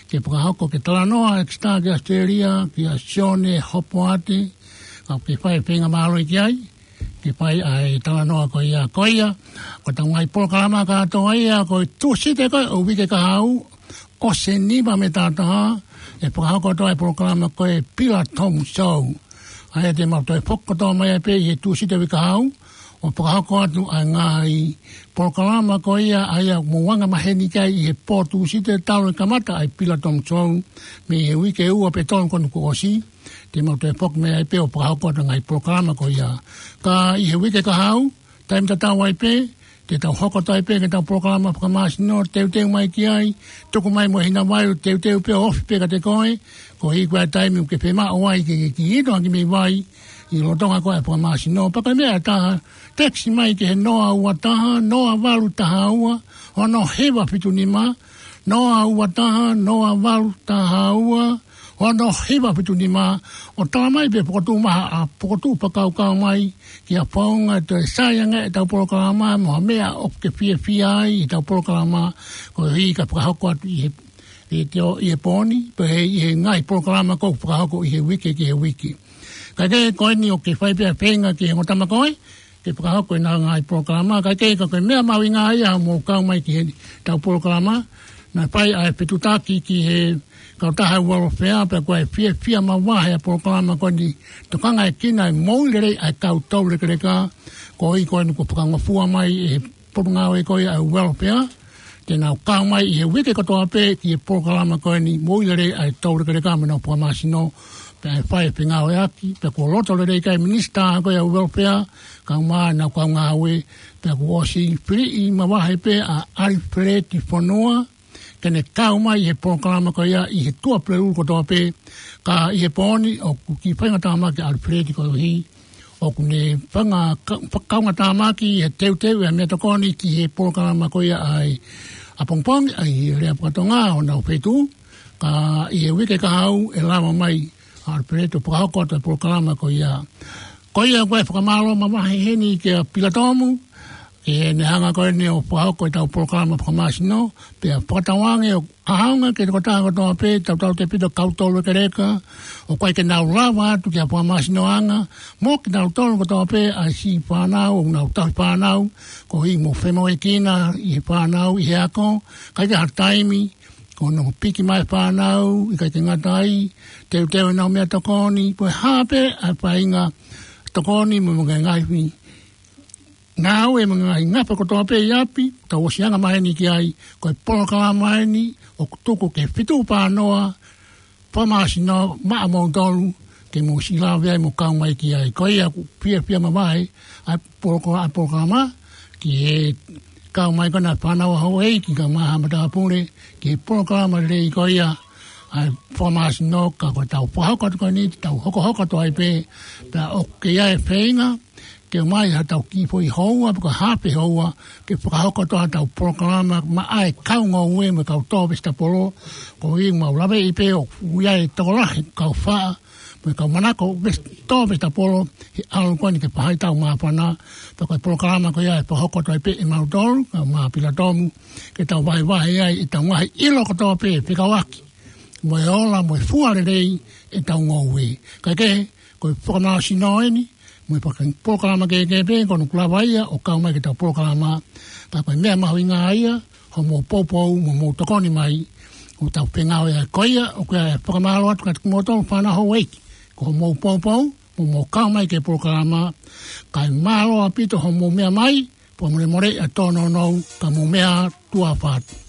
ke fakahoko ke talanoa Exeter ki ʻAositelēlia, kia Sione Hopoate, ka ke fai e feinga mālohi ki ai, ke fai ʻa e talanoa ko ia, ko ia, ko ʻetau ngaahi polokalama kātoa ia, ko e Tūsite ko ē ʻo e uike kahaʻu, ʻosi e nima mei he taha taha, ʻe fakahoko atu ai e polokalama ko e Pila Tomu Show. ʻA ia te mau toe foki kotoa mai ai pē ʻi he Tūsite uike kahaʻu, ʻo fakahoko atu ʻa e ngaahi polokalama ko ia, ʻa ia ʻoku mou anga maheni ki ai ʻi he pō Tūsite talu e kamata ʻa e Pila Tomu Show, mei he uike ua pe tolu ko eni kuo ʻosi, te mau toe foki mai ai pē ʻo fakahoko atu e ngaahi polokalama ko ia. Ka ʻi he uike kahaʻu, taimi tatau ai pē, te tau hoko atu ai pē ki heʻetau polokalama fakamāsino, teuteu mai ki ai, tuku mai mo e hina vai, teuteu pē ʻo ofi pē kiate koe, koeʻuhi ko e taimi ʻoku ke fiemaʻu ai ke, ke kiʻi inu hake mei vai, ʻi he lolotonga ko ē ʻa e fakamāsino, pea ko e meʻa ʻe taha, text mai ki he noa ua taha, noa valu taha ua, ono hiva fitu nima, noa ua taha, noa valu taha ua, ono hiva fitu nima, ʻo tala mai pē fokotuʻu mai ha, ʻa fokotuʻu fakakaukau mai, ki ha founga ʻe toe sai ange ʻetau polokalama, mo ha meʻa ʻoku ke fiefia ai ʻi heʻetau polokalama, koeʻuhi ka fakahoko atu ʻi he, ʻi he teo, ʻi he pō ni, pe ʻi he ngaahi polokalama ʻoku fakahoko ʻi he uike ki he uike. Kae kehe ko eni ʻoku ke fai pē ʻa e feinga ki he ongo tama ko ē, ke fakahoko ʻena ngaahi polokalama, kae kehe ka ko e meʻa mahuʻinga ia hoʻomou kau mai ki heʻetau polokalama, naʻe fai ʻa e fetuʻutaki ki he kautaha welfare, pea ko e fiefia mavahe ʻa e polokalama ko eni, tokangaekina e moʻui lelei ʻa e kau toulekeleka, koeʻuhi ko eni kuo fakangofua mai ʻe he potungāue ko ia ʻa e welfare, te nau kau mai ʻi he uike kotoa pē ki he polokalama ko eni, moʻui lelei ʻa e toulekeleka mo ʻenau fakamāsino, pea ʻe fai e fengāueʻaki, pea kuo loto lelei ki ai e minisitā ko ia ʻo e welfare, kae ʻumaʻā ʻenau kau ngāue, pea kuo ʻosi filiʻi mavahe pē ʻa ʻAlifeleti Fonua, ke ne kau mai ʻi he polokalama ko ia ʻi he Tuʻapulelulu kotoa pē, ka ʻi he pō ni ʻoku kiʻi faingatāmaki ʻa ʻAlifeleti koeʻuhi ʻoku ne fanga ka-, fa-, kaungatāmaki ʻi he teuteu ʻa e meʻatokoni ki he polokalama ko ia ʻa e ʻapongipongi, ʻa e lea faka-Tonga ʻo honau feituʻu, ka ʻi he uike kahaʻu ʻe lava mai ʻa ʻAlifeleti ʻo fakahoko atu e polokalama ko ia. Ko ia ko e fakamālō mavahe heni kia Pila Tomu, ʻEne hanga ko eni ʻo fakahoko ʻetau polokalama fakamāsino, pea fakatauange ʻoku ʻaonga ki he tokotaha kotoa pē, tautautefito kau tolu ʻekeleka, ʻoku ʻikai ke nau lava atu ki ha fakamāsinoʻanga, mo kinautolu kotoa pē ʻa e siʻi fānau, ʻoku nau tauhi fānau, koeʻuhi mo femoʻuekina ʻi he fānau, ʻi he ako, ʻikai ke ʻi ai ha taimi, ko hono piki mai fānau, ʻikai ke ngata ai, teuteu ʻenau meʻatokoni, ko e hā pē ʻa e faʻahinga tokoni mo e ngaahi ngāue mo e ngaahi ngafa kotoa pē ʻi ʻapi, tau ʻosi anga mai eni ki ai, ko e polokalama eni, ʻoku tuku ke fitu pānoa, fakamāsino maʻamoutolu, ke mou siʻi lave ai mo kau mai ki ai. Ko ia ʻoku fiefia mavahe, ʻa e poloko-, ʻa e polokalama, ki he kau mai ko ena fānau ʻa houʻeiki, kau mai ha matāpule, ki he polokalama lelei ko ia, ʻa e fakamāsino ka ko ʻetau fakahoko atu ko eni, tau hokohoko atu ai pē, pea ʻoku ʻi ai e feinga, ke ʻomai ha tau kiʻi foʻi houa, pe ko e haafe houa, ke fakahoko atu ha tau polokalama, maʻa e kau ngoue mo e kau tō vesitapolo, koeʻuhi mau laveʻi pē ʻoku ʻi ai e tokolahi kau faʻa, mo e kau manako ves-, tō vesitapolo, he ʻalu ko eni ke fai ʻetau māfana, pea ko e polokalama ko ia ʻe fakahoko atu ai pē ʻe mautolu, kau mā pilatomu, ke tau vahevahe ai ʻetau ngaahi ʻilo kotoa pē, fekauʻaki mo e ola, mo e fua lelei ʻetau ngoue. Kae kehe, ko e fakamāsino eni, mo e faka-, polokalama kehekehe pē, ko hono ʻoku lava ia ʻo kau mai ki heʻetau polokalama, ka ko e meʻa mahuʻinga ia, hoʻomou poupou, mo hoʻomou tokoni mai, ʻoku tau fengāueʻaki. Ko ia, ʻoku ou fakamālō atu kiate kimoutolu fānau houʻeiki, ko hoʻomou poupou, mo hoʻomou kau mai ki he polokalama, kae mālō ʻaupito hoʻomou meʻa mai, pea mole mole ʻa e tōnounou, ka mou meʻa ā, tuʻa ʻofa atu.